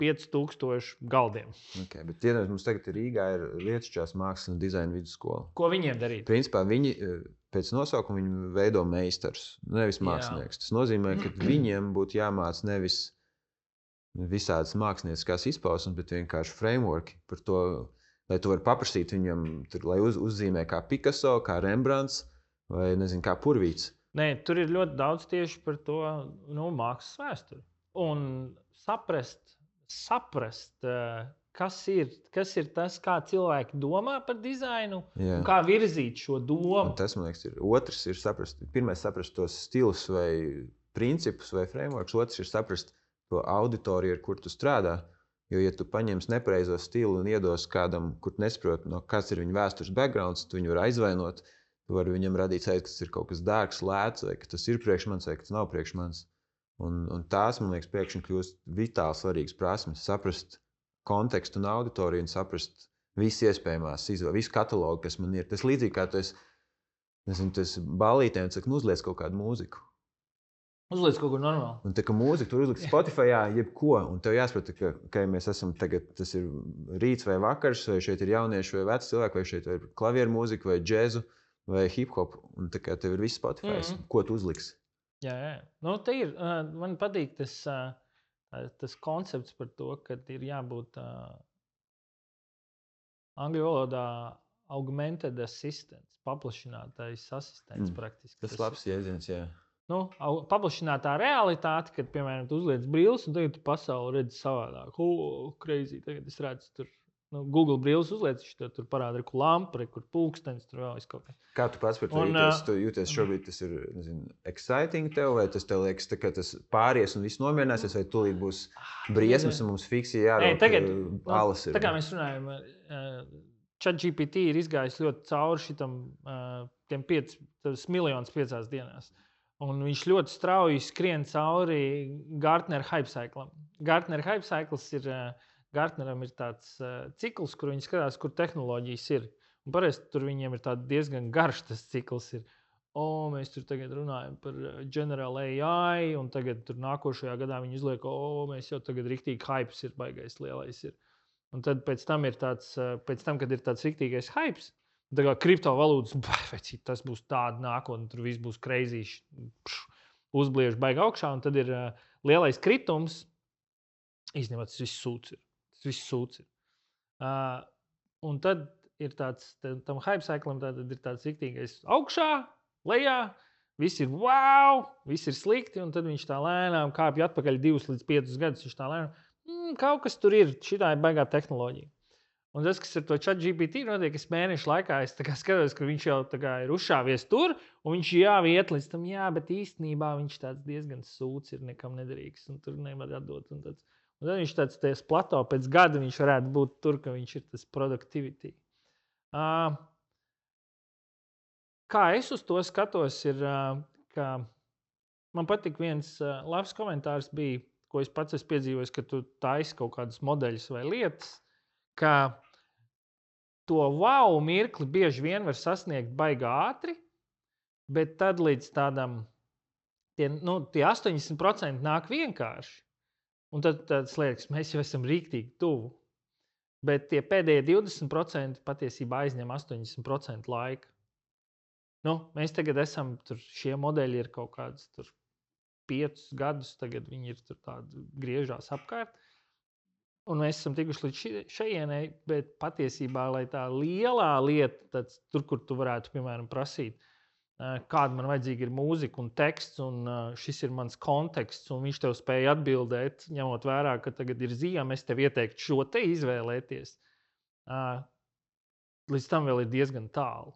5000 galdiem. Okay, bet mums tagad Rīgā ir Lietišķās mākslas un dizaina vidusskola. Ko viņiem darīt? Principā viņi pēc nosaukuma viņi veido meistars, nevis mākslinieks. Tas nozīmē, ka viņiem būtu jāmāc nevis visādas mākslinieckās izpausmes, bet vienkārši frameworki par to, lai tu vari paprasīt viņam, lai uzzīmē kā Picasso, kā Rembrandts vai kā Purvīts. Nē, tur ir ļoti daudz tieši par to mākslas vēsturi. Un saprast, kas ir tas, kā cilvēki domā par dizainu un kā virzīt šo domu. Un tas, man liekas, ir otrs. Pirmais saprast tos stilus vai principus vai frameworks, otrs ir saprast to auditoriju, ar kur tu strādā. Jo, ja tu paņemsi nepareizo stilu un iedos kādam, kur nesaproti, kāds ir viņa vēstures backgrounds, tu viņu var aizvainot. Tu vari viņam radīt sajūtu, ka tas ir kaut kas dārgs, lēts, vai ka tas ir priekš manis, vai ka tas nav priekš manis. Un tās, man liekas, pēkšņi kļūst vitāli svarīgas prasmes. Saprast kontekstu un auditoriju un saprast visas iespējamās izvēles, visu katalogu, kas man ir. Tas līdzīgi kā tu esi ballītē un saka, uzliec kaut kādu mūziku. Uzliec kaut ko normālu. Un tā kā mūzika tur uzlikt Spotify, jebko, un tev jāsaprot, ka mēs esam tagad, tas ir rīts vai vakars, vai šeit ir jaunieši vai veci cilvēki, vai šeit ir klavieru mūzika vai džezu. Vai hip-hop, un tā kā tev ir viss Spotify, ko tu uzliksi? Jā. Nu, te ir, man patīk tas koncepts par to, ka ir jābūt angļu valodā augmented assistants, paplašinātais asistents praktiski. Tas labs jēdziens, jā. Nu, paplašinātā realitāte, kad, piemēram, tu uzliec brilles, un tagad tu pasauli redzi savādāk. Crazy, tagad es redzu tur. Google brilles uzliec, tur parāda, kur lampa, kur pulkstenis, tur vēl kaut kas. Kā tu pats par to jūties? Tu jūties šobrīd, tas ir exciting tev, vai tas tev liekas, ka tas pāries un viss nomierināsies, vai tūlīt būs briesmas un mums fiksi jārok alas ir? Tā kā mēs runājam, ChatGPT ir izgājis ļoti cauri šitam tiem 5 miljonus 5 dienās. Un viņš ļoti strauji skrien cauri Gartner hype cyclam. Gartner hype cycls ir... Gartneram ir tāds cikls, kur viņi skatās, kur tehnoloģijas ir. Un parasti tur viņiem ir diezgan garš tas cikls. Mēs tur tagad runājam par General AI, un tagad tur nākošajā gadā viņi izliek, mēs jau tagad riktīgi hypes ir baigais lielais. Un tad pēc tam, kad ir tāds riktīgais hypes, tā kā kriptovalūtas, tas būs tāda nākotne, tur viss būs crazy, uzbliež baigi augšā, un tad ir lielais kritums. Īstenībā tas viss sūds ir. Viss sūds ir. Un tad ir tam hype cyclam ir tāds riktīgais augšā, lejā, viss ir wow, viss ir slikti, un tad viņš tā lēnām kāpj atpakaļ 2 līdz 5 gadus, viņš tā lēnām, kaut kas tur ir, šitā ir baigā tehnoloģija. Un tas, kas ar to ChatGPT notiek, es mēnešu laikā, es skatos, ka viņš jau ir uzšāvies tur, un viņš jau iet līdz tam, bet īstenībā viņš tāds diezgan sūds ir, nekam nederīgs, un tur nevar atdot, un tāds. Un tad viņš tāds plato pēc gada viņš varētu būt tur, ka viņš ir tas productivity. Kā es uz to skatos, ir, ka man patīk viens labs komentārs bija, ko es pats esmu piedzīvojis, ka tu taisi kaut kādus modeļus vai lietas, ka to wow mirkli bieži vien var sasniegt baigi ātri, bet tad līdz tādam, tie 80% nāk vienkārši. Un tad liekas, mēs jau esam rīktīgi tuvu. Bet tie pēdējie 20% patiesībā aizņem 80% laika. Mēs tagad esam, šie modeļi ir kaut kādus 5 gadus, tagad viņi ir tādi griežās apkārt. Un mēs esam tikuši līdz šejienei, bet patiesībā, lai tā lielā lieta, tur, kur tu varētu, piemēram, prasīt, kāda man vajadzīga ir mūzika un teksts, un šis ir mans konteksts, un viņš tev spēja atbildēt, ņemot vērā, ka tagad ir ziema, es tev ieteiktu šo te izvēlēties. Līdz tam vēl ir diezgan tālu.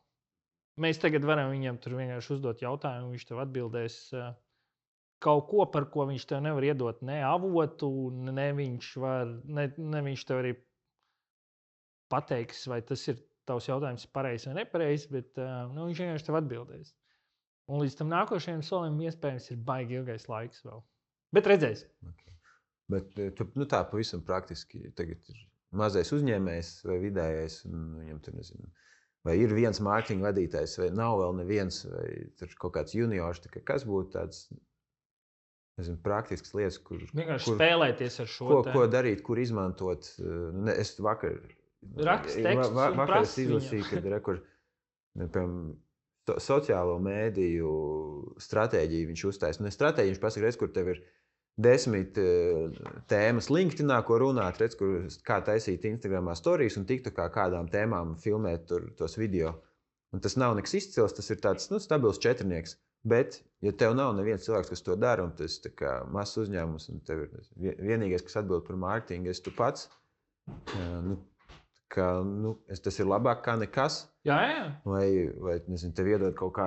Mēs tagad varam viņam tur vienkārši uzdot jautājumu, viņš tev atbildēs kaut ko, par ko viņš tev nevar iedot ne avotu, ne viņš tev arī pateiks, vai tas ir tavs jautājums pareizs vai nepareizs, bet viņš vienkārši tev atbildēs. Un līdz tam nākošajam solim iespējams ir baigi ilgais laiks vēl. Bet redzēs. Okay. Bet tu tā pavisam praktiski tagad ir mazais uzņēmējs vai vidējais, un viņam tur nezinu, vai ir viens mārketinga vadītājs, vai nav vēl neviens, vai tur kaut kāds juniors, kas būtu tāds, nezinu, praktisks lietas, kur spēlēties ar šo ko darīt, kur izmantot. Es vakar es izlasīju, kad piemēram, sociālo mēdīju stratēģiju viņš uztaisa. Ne stratēģiju, viņš pasaka, redz, kur tev ir 10 tēmas LinkedInā, ko runāt, redz, kā taisīt Instagramā storijas un TikTokā kādām tēmām filmēt tos video. Un tas nav nekas izcils, tas ir tāds stabils četrnieks. Bet, ja tev nav neviens cilvēks, kas to dara, un tas ir mazs uzņēmums, un tev ir vienīgais, kas atbild par mārketingu, tu pats, tas ir labāk kā nekas. Jā. Vai nezinu, tev iedod kaut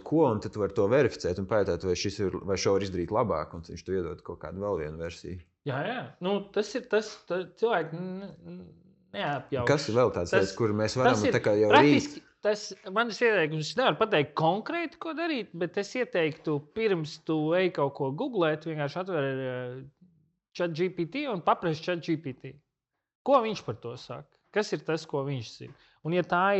ko, un tad tu vari to verificēt un pajautāt, vai šo var izdarīt labāk, un viņš tev iedod kaut kādu vēl vienu versiju. Jā. Tas ir tas, cilvēki neapjauš. Kas ir vēl tāds lietas, kur mēs varam jau rīt? Tas manis ieteikums, es nevaru pateikt konkrēti, ko darīt, bet es ieteiktu, pirms tu ej kaut ko googlēt, vienkārši atver ChatGPT un paprasti ChatGPT. Ko viņš par to saka? Kas ir tas, ko viņš zina? Un ja tā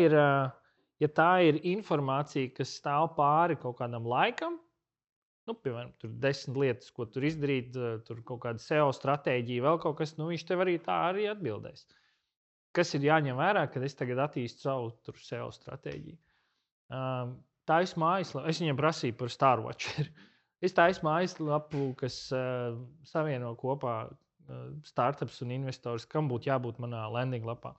ir informācija, kas stāv pāri kaut kādam laikam, piemēram, tur 10 lietas, ko tur izdarīt, tur kaut kāda SEO stratēģija, vēl kaut kas, viņš tev arī tā arī atbildēs. Kas ir jāņem vērā, kad es tagad attīstu savu SEO stratēģiju? Taisu mājaslapu, es viņam prasīju par Starwatcher. Es taisu mājaslapu, kas savieno kopā startups un investors, kam būtu jābūt manā landing lapā.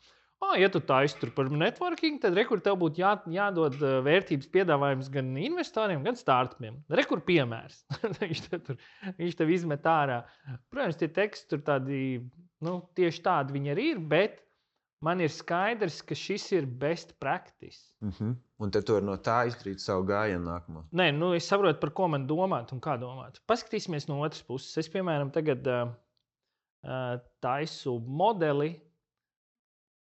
Ja tu taisi tur par networking, tad rekur tev būtu jādod vērtības piedāvājums gan investoriem, gan startupiem. Rekur piemērs. viņš tev izmet ārā. Protams, tie teksti tur tādi, tieši tādi viņi arī ir, bet man ir skaidrs, ka šis ir best practice. Un tad tu vari no tā izdarīt savu gājienu nākamo. Nē, es saprotu, par ko man domāt un kā domāt. Paskatīsimies no otras puses. Es, piemēram, tagad taisu modeli.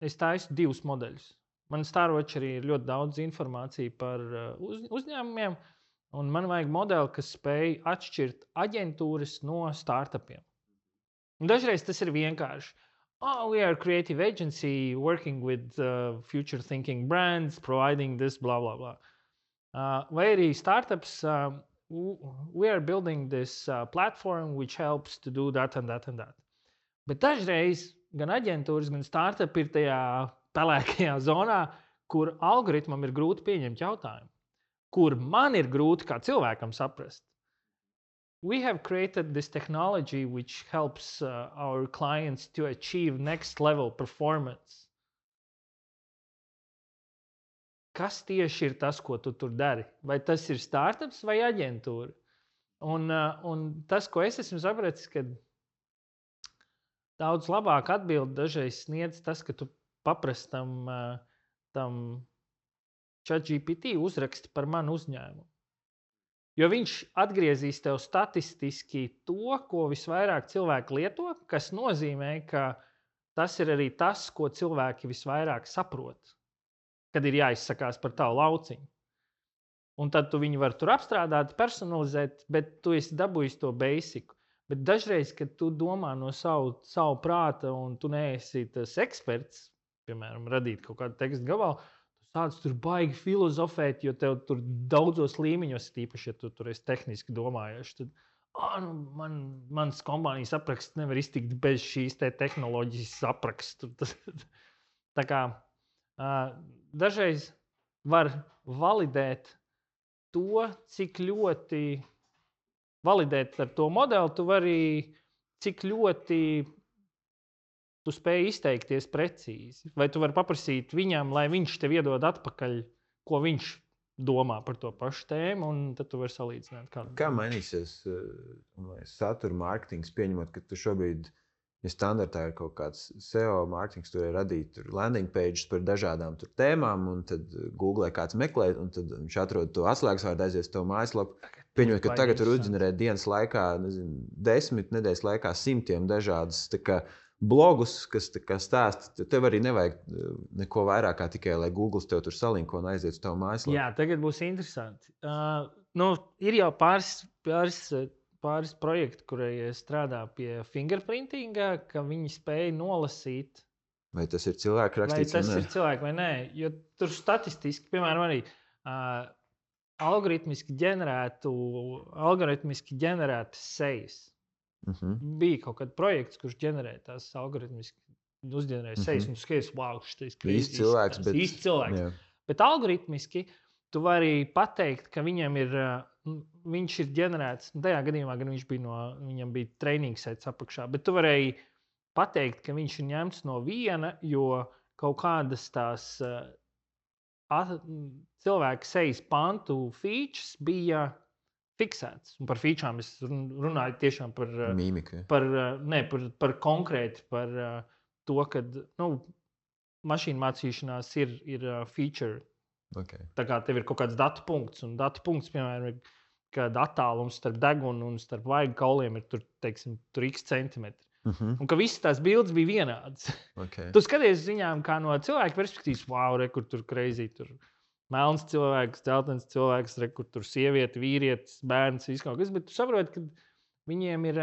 Es taisu 2 modeļus. Man Starwatcherī ir ļoti daudz informācija par uzņēmumiem, un man vajag modeli, kas spēj atšķirt aģentūras no startupiem. Un dažreiz tas ir vienkārši. We are a creative agency working with future-thinking brands, providing this, blah, blah, blah. Vai arī startups, we are building this platform which helps to do that and that and that. Bet dažreiz gan aģentūras, gan startupi ir tajā pelēkajā zonā, kur algoritmam ir grūti pieņemt jautājumu, kur man ir grūti kā cilvēkam saprast. We have created this technology which helps our clients to achieve next level performance. Kas tieši ir tas, ko tu tur dari? Vai tas ir startups vai aģentūra? Un tas, ko es esmu sapratis, ka daudz labāk atbildi dažreiz sniedz tas, ka tu paprasti tam ChatGPT uzraksti par manu uzņēmumu. Jo viņš atgriezīs tev statistiski to, ko visvairāk cilvēki lieto, kas nozīmē, ka tas ir arī tas, ko cilvēki visvairāk saprot, kad ir jāizsakās par tavu lauciņu. Un tad tu viņu var tur apstrādāt, personalizēt, bet tu esi dabūjis to basiku. Bet dažreiz, kad tu domā no savu prāta un tu neesi tas eksperts, piemēram, radīt kaut kādu tekstu gabalu, sāc tur baigi filozofēt, jo tev tur daudzos līmeņos, tīpaši, ja tu tur esi tehniski domājoši, tad mans kompānijas apraksts nevar iztikt bez šīs tehnoloģijas aprakstu. Tā kā dažreiz var validēt to, cik ļoti validēt ar to modeli, tu vari cik ļoti tu spēj izteikties precīzi. Vai tu vari paprasīt viņam, lai viņš tev iedod atpakaļ, ko viņš domā par to pašu tēmu, un tad tu vari salīdzināt. Kā mainīsies satura mārketings, pieņemot, ka tu šobrīd, ja standartā ir kaut kāds SEO mārketings, tu vari radīt landing pages par dažādām tēmām, un tad Google kāds meklē, un tad viņš atrod to atslēgsvārdu, aizies to mājaslapu. Pieņemot, ka tagad tur uzģenerēt dienas laikā, 10 nedēļas laikā 100 dažādas blogus, kas stāsta, tev arī nevajag neko vairāk kā tikai, lai Google tev tur salinko un aiziet uz tavu mājaslapu. Jā, tagad būs interesanti. Ir jau pāris projekti, kurie strādā pie fingerprintinga, ka viņi spēj nolasīt. Vai tas ir cilvēku rakstīts? Vai tas ir cilvēku vai nē? Jo tur statistiski, piemēram, arī algoritmiski ģenerētas sejas. Bija kaut kāds projekts, kurš ģenerē tās algoritmiski, uzģenerē sejas, un tu skaties, wow, šis ir īsts cilvēks. Īsts cilvēks. Jā. Bet algoritmiski tu vari pateikt, ka viņš ir ģenerēts, tajā gadījumā gan viņam bija training sets apakšā, bet tu varēji pateikt, ka viņš ir ņemts no viena, jo kaut kādas tās cilvēka sejas pantu features bija fiksēts. Un par featurām es runāju tiešām par mīmiku. Par konkrēti par to, ka mašīnu mācīšanās ir feature. Okay. Tā kā tev ir kaut kāds datu punkts, un datu punkts, piemēram, ir, kad attālums starp degunu un starp vaigu kauliem ir tur x centimetri. Un ka visas tās bildes bija vienādas. Okay. Tu skaties viņām kā no cilvēka perspektīvas, wow, kur tur crazy, tur melns cilvēks, dzeltens cilvēks, kur tur sieviete, vīrietis, bērns, viss kaut kas, bet tu saproti, ka viņiem ir...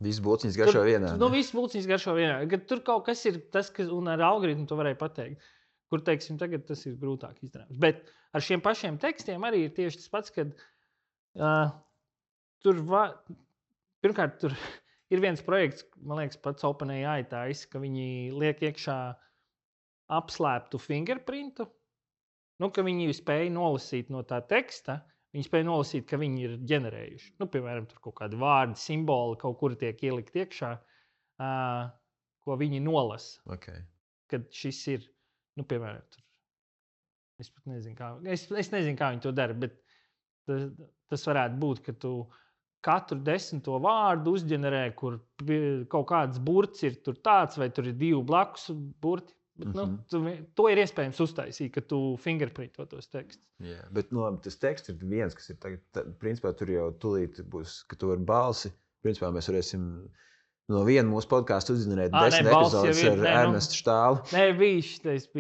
Visas būciņas garšo vienādi. Visas būciņas garšo vienādi. Kad tur kaut kas ir tas, un ar algoritmu to varēja pateikt, kur, teiksim, tagad tas ir grūtāk izdarāms. Bet ar šiem pašiem tekstiem arī ir tieši tas pats, kad pirmkārt, tur ir viens projekts, man liekas, pats OpenAI taisa, ka viņi liek iekšā apslēptu fingerprintu, ka viņi spēja nolasīt no tā teksta, viņi spēja nolasīt, ka viņi ir ģenerējuši. Piemēram, tur kaut kādi vārdi, simboli kaut kur tiek ielikt iekšā, ko viņi nolasa. Okay. Kad šis ir, piemēram, tur. Es pat nezinu, kā. Es nezinu, kā viņi to dara, bet tas varētu būt, ka tu katru 10. vārdu uzģenerē, kur kaut kāds burts ir tur tāds, vai tur ir 2 blakus burti. Bet, to ir iespējams uztaisīt, ka tu fingerprinto tos tekstus. Jā, bet tas teksts ir viens, kas ir tagad, principā tur jau tūlīt būs, ka tu vari balsi. Principā mēs varēsim no viena mūsu podcastu uzģenerēt 10 epizodes ar Ernestu Štāli. Nē, tas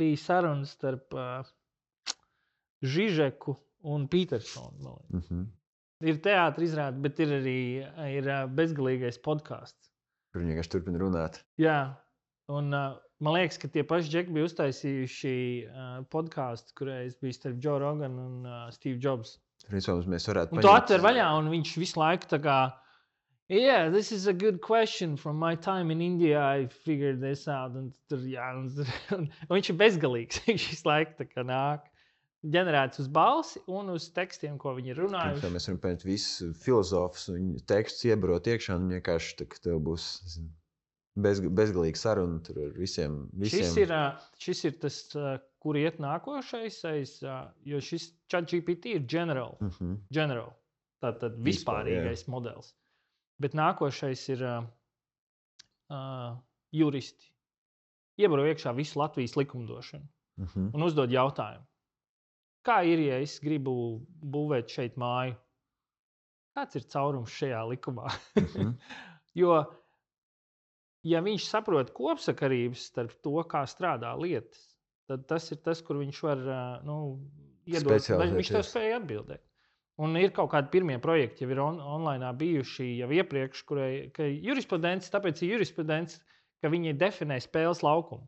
bija sarunas starp Žižeku un Petersonu. Ir teātris izrāde, bet ir arī bezgalīgais podcasts. Kur viņi vienkārši turpina runāt. Jā, un man liekas, ka tie paši džeki bija uztaisījuši podcastu, kurais bija starp Joe Rogan un Steve Jobs. Mēs varētu un tu atver vaļā, un viņš visu laiku tā kā yeah, this is a good question. From my time in India, I figured this out. Un viņš ir bezgalīgs. Viņš visu laiku tā kā nāk. Ģenerēts uz balsi un uz tekstiem, ko viņi ir runājuši. Mēs varam paņemt visus filozofus un tekstus iebarot iekšā, un vienkārši tā, tev būs bezgalīga saruna tur ar visiem. Šis ir tas, kur iet nākošais, jo šis ChatGPT ir general. Tātad vispārīgais modelis. Bet nākošais ir juristi. Iebaro iekšā visu Latvijas likumdošanu un uzdod jautājumu. Kā ir, ja es gribu būvēt šeit māju? Kāds ir caurums šajā likumā? Jo, ja viņš saprot kopsakarības starp to, kā strādā lietas, tad tas ir tas, kur viņš var iedot, viņš tev spēja atbildēt. Un ir kaut kādi pirmie projekti, jau ir online bijuši jau iepriekš, ka jurisprudence, tāpēc ir jurisprudence, ka viņi definē spēles laukumu.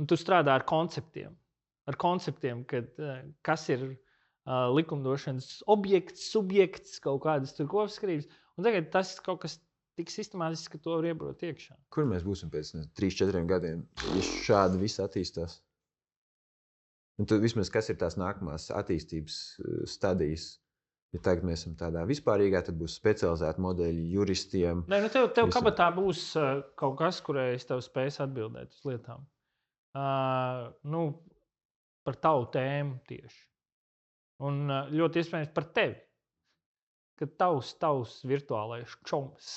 Un tu strādā ar konceptiem. Kas ir likumdošanas objekts, subjekts, kaut kādas tur kopsakarības. Un tagad tas kaut kas tik sistemātiski, ka to var iebrot iekšā. Kur mēs būsim pēc 3-4 gadiem, ja šādi viss attīstās? Un tad vismaz kas ir tās nākamās attīstības stadijas? Ja tagad mēs esam tādā vispārīgā, tad būs specializēti modeļi juristiem. Nē, tev kabatā būs kaut kas, kurai es tev spēs atbildēt uz lietām. Par tavu tēmu tieši. Un ļoti iespējams par tevi. Kad tavs virtuālais čoms,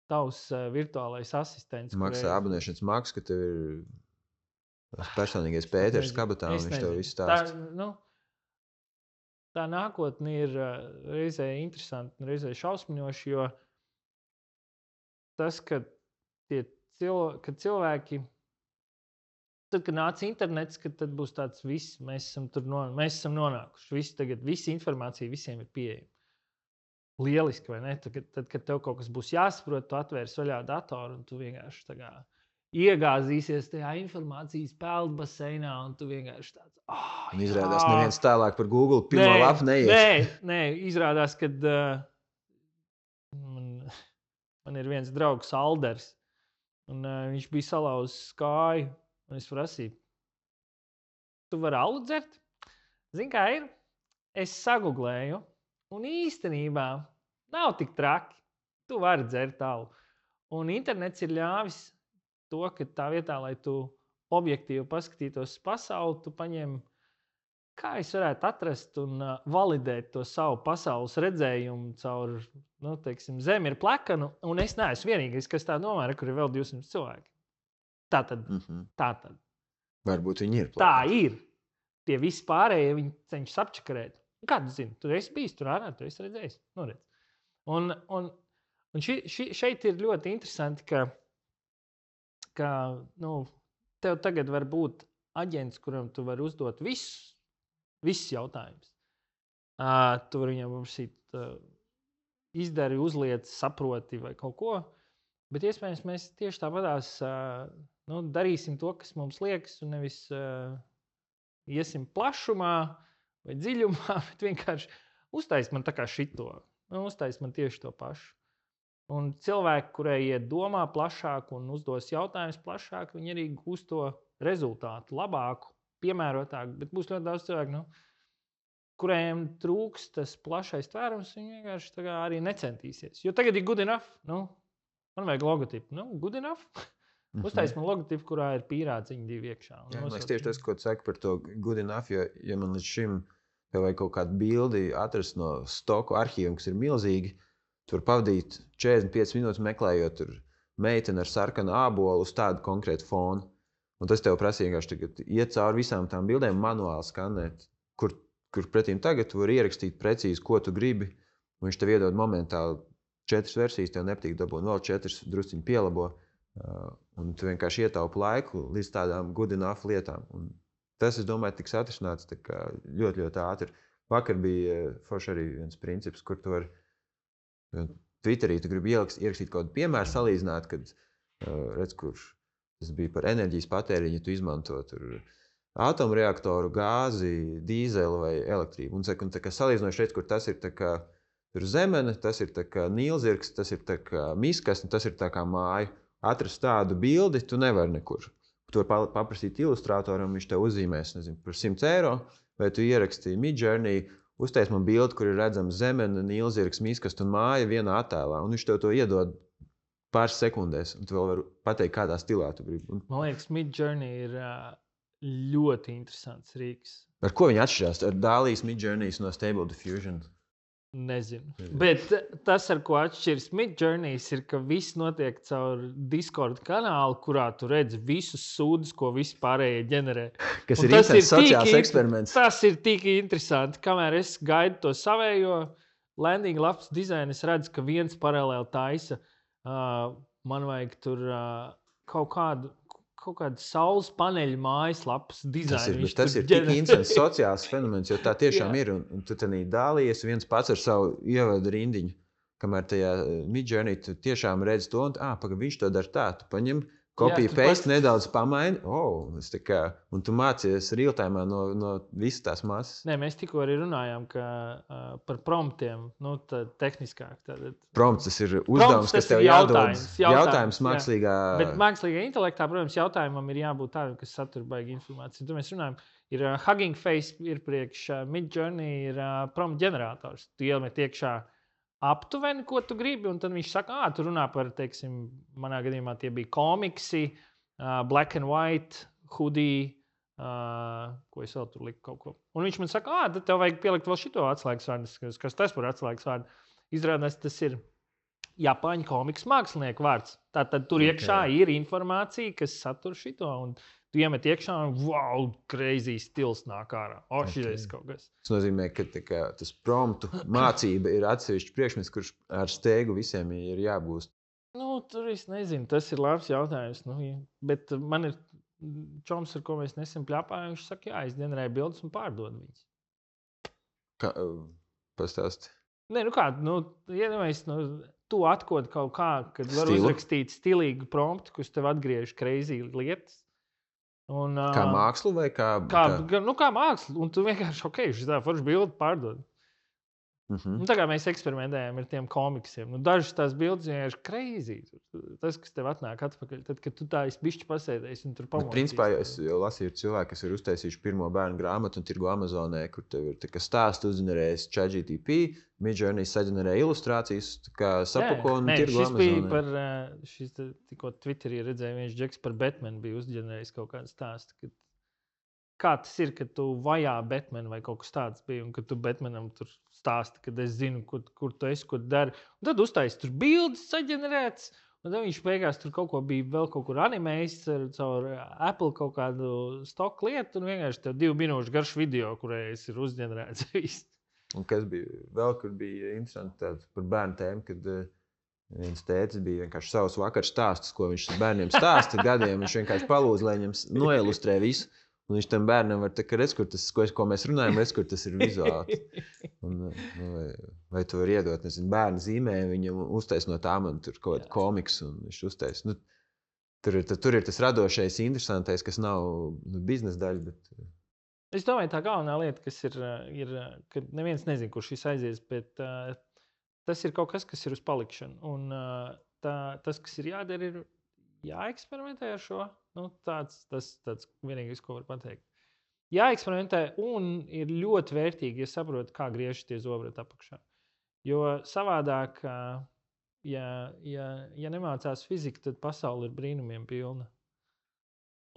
tavs virtuālais asistents. Maksā abonēšanas maksu, ka tev ir personīgais Pēters kabatā un viņš tev visu stāsta. Tā nākotne ir reizē interesanti un reizē šausminoši, jo tas, kad cilvēki tad, kad nāca internets, tad būs tāds viss, mēs esam nonākuši. Visa informācija visiem ir pieejama. Lieliski, vai ne? Tad, kad tev kaut kas būs jāsaprot, tu atvērs vaļā datoru un tu vienkārši tā kā iegāzīsies tajā informācijas peldbaseinā un tu vienkārši tāds, un izrādās neviens tālāk par Google pirmo lapu neies. Nē, izrādās, kad man ir viens draugs Alders un viņš bija salauzis kāju. Un es prasīju, tu vari alu dzert? Zini, kā ir? Es saguglēju, un īstenībā nav tik traki. Tu vari dzert alu. Un internets ir ļāvis to, ka tā vietā, lai tu objektīvi paskatītos pasauli, tu paņem, kā es varētu atrast un validēt to savu pasaules redzējumu caur, teiksim, Zeme ir plekana, un es neesmu vienīgais, kas tā domā, kur ir vēl 200 cilvēki. Tātad. Varbūt viņi ir plekani. Tā ir. Tie visi pārējie, viņi cenšas apčakarēt. Kādu zini? Tu esi bijis tur ārā, tu esi redzējis. Redz. Un šeit ir ļoti interesanti, ka tev tagad var būt aģents, kuram tu vari uzdot visus jautājumus. Tu vari viņam paprasīt, izdari, uzliec, saproti vai kaut ko. Bet iespējams mēs tieši tāpatās darīsim to, kas mums liekas, un nevis iesim plašumā vai dziļumā, bet vienkārši uztais man tā kā šito. Uztais man tieši to pašu. Un cilvēki, kurai iet domā plašāk un uzdos jautājumus plašāk, viņi arī gūs to rezultātu labāku, piemērotāku. Bet būs ļoti daudz cilvēku, kuriem trūks tas plašais tvērums, viņi vienkārši arī necentīsies. Jo tagad ir good enough. Man vajag logotipu. Good enough. Uztais man logotipu, kurā ir pīrāciņi 2 iekšā. Es tieši tas, ko tu saki par to good enough, jo ja man līdz šim vajag kaut kādu bildi atrast no stoku arhīviem, kas ir milzīgi, tur pavadīt 45 minūtes meklējot tur meiteni ar sarkanu ābolu uz tādu konkrētu fonu. Un tas tev prasīja vienkārši tagad iet cauri visām tām bildēm, manuāli skanēt, kur pretīm tagad tu vari ierakstīt precīzi, ko tu gribi. Un viņš tev iedod momentāli 4 versijas, tev nepatīk dabūt, vēl 4 drusciņi pielabo. Un tu vienkārši ietaupi laiku līdz tādām good enough lietām. Un tas, es domāju, tiks atrisināts ļoti, ļoti ātri. Vakar bija forši arī viens princips, kur tu vari Twitterī tu gribi ierakstīt kaut kādu piemēru, salīdzināt, kad redz, kurš tas bija par enerģijas patēriņu, tu izmanto tur atomreaktoru, gāzi, dīzeli vai elektrību. Un tā kā salīdzinoši redz, kur tas ir tā kā tur zemene, tas ir tā kā nīlzirgs, tas ir tā kā miskas, un tas ir tā kā māja. Atrast tādu bildi tu nevari nekur. Tu vari paprasīt ilustrātoram, viņš tev uzzīmēs, nezinu, par 100 eiro, vai tu ierakstīji Midjourney, uztais man bildi, kur ir redzams zemene, nīlzirgs, miskas un māja vienā attēlā, un viņš tev to iedod pāris sekundēs, un tu vēl vari pateikt, kādā stilā tu gribi. Man liekas, Midjourney ir ļoti interesants rīks. Ar ko viņi atšķirās? Ar Dālijas Midjourneys no Stable Diffusion? Nezinu. Bet tas, ar ko atšķiras Midjourneys, ir, ka viss notiek caur Discord kanālu, kurā tu redzi visus sūdus, ko visi pārējie ģenerē. Kas ir interesants sociāls eksperiments. Tas ir tik interesanti. Kamēr es gaidu to savējo landing lapas dizainu, es redzu, ka viens paralēli taisa. Man vajag tur kaut kādu saules paneļu mājaslapas dizainu. Tas ir tik interesants sociāls fenomens, jo tā tiešām ir. Un tu tenī dālies viens pats ar savu ievadu rindiņu, kamēr tajā Midjourney tu tiešām redzi to, un viņš to dara tā. Tu paņem copy paste, nedaudz pamaini, un tu mācies real-time no visas tās masas. Nē, mēs tikko arī runājām par promptiem, tehniskāk. Prompts, tas ir uzdevums, kas tev jādod. Jautājums mākslīgā... Bet mākslīgā intelektā, protams, jautājumam ir jābūt tādam, kas satur baigi informāciju. Tur mēs runājam, ir Hugging Face, ir priekš Midjourney, ir prompt ģenerators. Tu iemet iekšā aptuveni, ko tu gribi, un tad viņš saka, tu runā par, teiksim, manā gadījumā tie bija komiksi, black and white, hoodie, ko es vēl tur liku kaut ko. Un viņš man saka, tad tev vajag pielikt vēl šito atslēgas vārdu, kas tas par atslēgas vārdu. Izrādās, tas ir Japāņu komiks mākslinieku vārds. Tātad tur iekšā ir informācija, kas satur šito, un tu iemet iekšā un wow, crazy stils nāk ārā. Šitais kaut kas. Tas nozīmē, ka tas promptu mācība ir atsevišķi priekšmets, kurš ar steigu visiem ir jābūst. Tur es nezinu, tas ir labs jautājums. Bet man ir čoms, ar ko mēs nesen pļāpājam, viņš saka, es ģenerēju bildes un pārdodu viņas. Pastāsti. Nē, tu atkod kaut kā, kad var uzrakstīt stilīgu promptu, kurš tev atgriež crazy lietas. Un, kā mākslu vai kā... Kā mākslu, un tu vienkārši, šitā forši bildi pārdod. Nu, tā kā mēs eksperimentējam ar tiem komiksiem. Nu, dažas tās bildes ir crazy. Tas, kas tev atnāk atpakaļ, tad, kad tu tā esi bišķi pasēdējis un tur pamodīsi. Principā es jau lasīju cilvēku, kas ir uztaisījuši pirmo bērnu grāmatu un tirgo Amazonē, kur tev ir stāsts uzģenerējis ChatGPT, Midjourney saģenerē ilustrācijas, kā sapako un tirgo Amazonē. Šis bija par, šis tikko Twitterī redzēja, viens džeks par Batman bija uzģenerējis kaut kādu stāstu. Kā tas ir, kad tu vajā Batmanu vai kaut kas tāds bija, un kad tu Batmanam tur stāsti, kad es zinu, kur tu esi, ko tu dari. Un tad uztaisi tur bildes saģenerēts, un tad viņš beigās tur kaut ko bija vēl kaut kur animējis caur Apple kaut kādu stoku lietu, un vienkārši tev 2 minūšu garš video, kurējais ir uzģenerēts viss. Un kas bija vēl, kur bija interesanti tāds par bērnu tēmu, kad viens tētis bija vienkārši savus vakar stāstus, ko viņš bērniem stāsta gadiem, viņš vienkārši palūdz, lai viņam noilustrē visu. Un viņš tam bērnam var teikt, redz, kur tas, ko mēs runājam, redz, kur tas ir vizuāli. Un, vai tu vari iedot, nezinu, bērnu zīmējumu, viņam uztais no tām un tur kaut kādu komiksu, un viņš uztais. Nu, tur ir tas radošais, interesantais, kas nav biznesa daļa, bet... Es domāju, tā galvenā lieta, kas ir ka neviens nezin, kur šis aizies, bet tas ir kaut kas, kas ir uz palikšanu. Un tas, kas ir jādara, ir jāeksperimentē ar šo. Nu, tas vienīgais, ko var pateikt. Jāeksperimentē un ir ļoti vērtīgi, ja saprot, kā griežas tie zobrati apakšā. Jo savādāk, ja nemācās fiziku, tad pasaule ir brīnumiem pilna.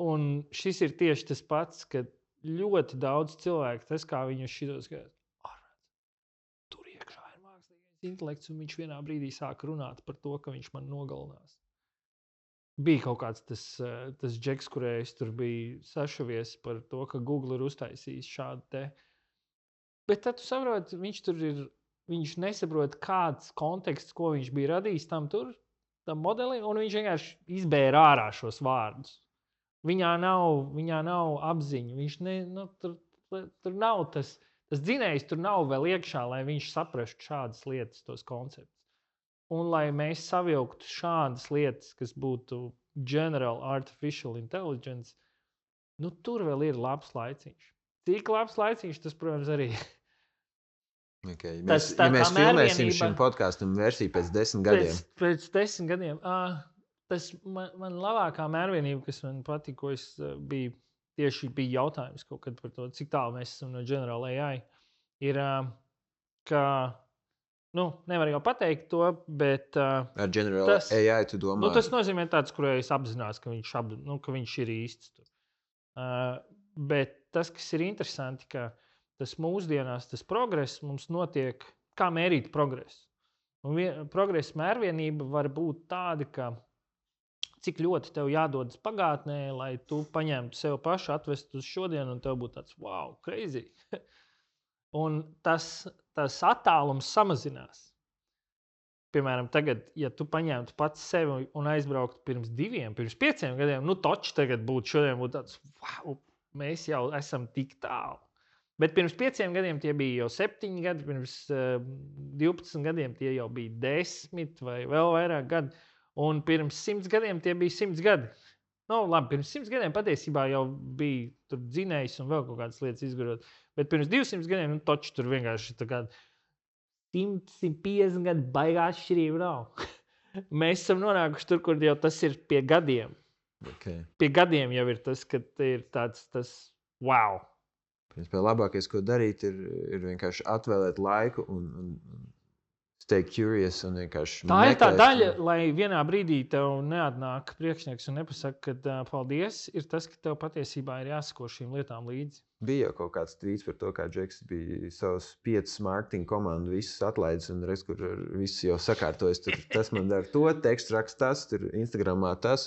Un šis ir tieši tas pats, ka ļoti daudz cilvēku, tas kā viņi uz šitos skatās, tur iekšā ir mākslīgais intelekts, un viņš vienā brīdī sāk runāt par to, ka viņš man nogalinās. Bija kaut kāds tas džeks, kurējais tur bija sašavies par to, ka Google ir uztaisījis šādu te. Bet tad tu saproti, viņš nesaprot, kāds konteksts, ko viņš bija radījis tam modelim, un viņš vienkārši izbēra ārā šos vārdus. Viņā nav apziņa. Viņš tur nav tas dzinējs, tur nav vēl iekšā, lai viņš saprastu šādas lietas, tos konceptus. Un lai mēs savilktu šādas lietas, kas būtu General Artificial Intelligence, nu tur vēl ir labs laiciņš. Cik labs laiciņš, tas, protams, arī. Okay. Mēs filmēsim šim podkastam versiju pēc 10 gadiem. Pēc 10 gadiem. Tas man labākā mērvienība, kas man patīk, ko es bija jautājums kaut kad par to, cik tālu mēs esam no General AI, ir, ka nevar jau pateikt to, bet... Ar General AI tu domā? Tas nozīmē tāds, kurējais apzinās, ka viņš ir īsts. Bet tas, kas ir interesanti, ka tas mūsdienās, tas progress mums notiek, kā mērīt progresu. Un progresa mērvienība var būt tāda, ka cik ļoti tev jādodas pagātnē, lai tu paņemtu sev pašu, atvestu uz šodien, un tev būtu tāds, wow, crazy. Un tas attālums samazinās. Piemēram, tagad, ja tu paņemtu pats sevi un aizbrauktu pirms 5 gadiem, toči tagad šodien būtu tāds, wow, mēs jau esam tik tālu. Bet pirms 5 gadiem tie bija jau 7 gadi, pirms 12 gadiem tie jau bija 10 vai vēl vairāk gadi, un pirms 100 gadiem tie bija 100 gadi. Labi, pirms 100 gadiem patiesībā jau bija tur dzinējs un vēl kaut kādas lietas izgudrot. Bet pirms 200 gadiem, toči tur vienkārši tā kā 150 gadu baigā atšķirība nav. Mēs esam nonākuši tur, kur jau tas ir pie gadiem. Okay. Pie gadiem jau ir tas, ka ir tāds wow. Principā labākais, ko darīt, ir vienkārši atvēlēt laiku un stay curious un vienkārši tā ir tā daļa, lai vienā brīdī tev neatnāk priekšnieks un nepasaka, ka paldies, ir tas, ka tev patiesībā ir jāsako šīm lietām līdzi. Bija jau kaut kāds tvīts par to, kā Džeks bija savus 5 marketinga komandu visus atlaidis un reiz, kur viss jau sakārtojas. Tur tas man dara to, tekstu raksta tas, tur Instagramā tas.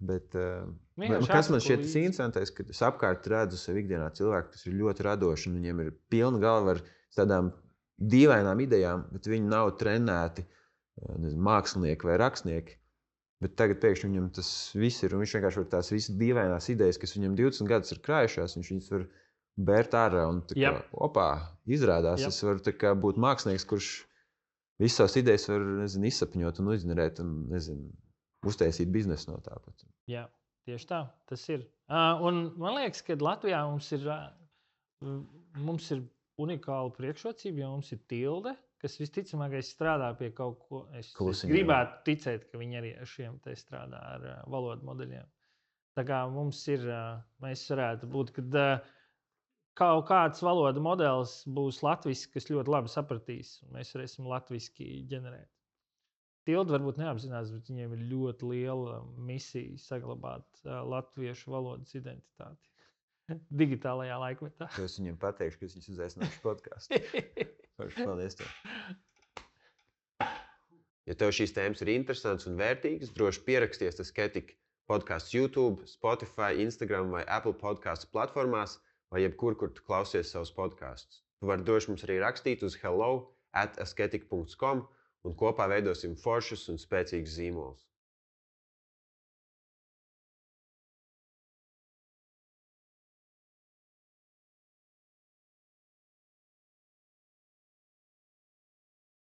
Bet kas man šķiet interesantais, kad es apkārt redzu sev ikdienā cilvēku, kas ir ļoti radoši un viņiem ir pilna galva ar tādām dīvainām idejām, bet viņi nav trenēti mākslinieki vai rakstnieki. Bet tagad pēkšņi viņam tas viss ir, un viņš vienkārši var tās visas dīvainās idejas, kas viņam 20 gadus ir krājušās, viņš viņas var bērt ārā un izrādās. Es varu būt mākslinieks, kurš visas savas idejas var izsapņot un uzģenerēt un uztaisīt biznesu no tāpat. Jā, tieši tā, tas ir. Un man liekas, ka Latvijā mums ir unikāla priekšrocība, jo mums ir Tilde, kas visticamāk strādā pie kaut ko. Es gribētu ticēt, ka viņi arī ar šiem te strādā ar valodu modeļiem. Tā kā mums ir, mēs varētu būt, kad kaut kāds valodu modelis būs latvisks, kas ļoti labi sapratīs, un mēs varēsim latviski ģenerēt. Tilde varbūt neapzinās, bet viņiem ir ļoti liela misija saglabāt latviešu valodas identitāti digitālajā laikmetā. Es viņiem pateikšu, ka viņš uzaicināšu podkāstu. Paldies tev. Ja tev šīs tēmas ir interesantas un vērtīgas, droši pieraksties Asketik podkāsts YouTube, Spotify, Instagram vai Apple podkāstu platformās vai jebkur, kur tu klausies savus podkāstus. Tu vari droši mums arī rakstīt uz hello@asketik.com un kopā veidosim foršus un spēcīgus zīmolus.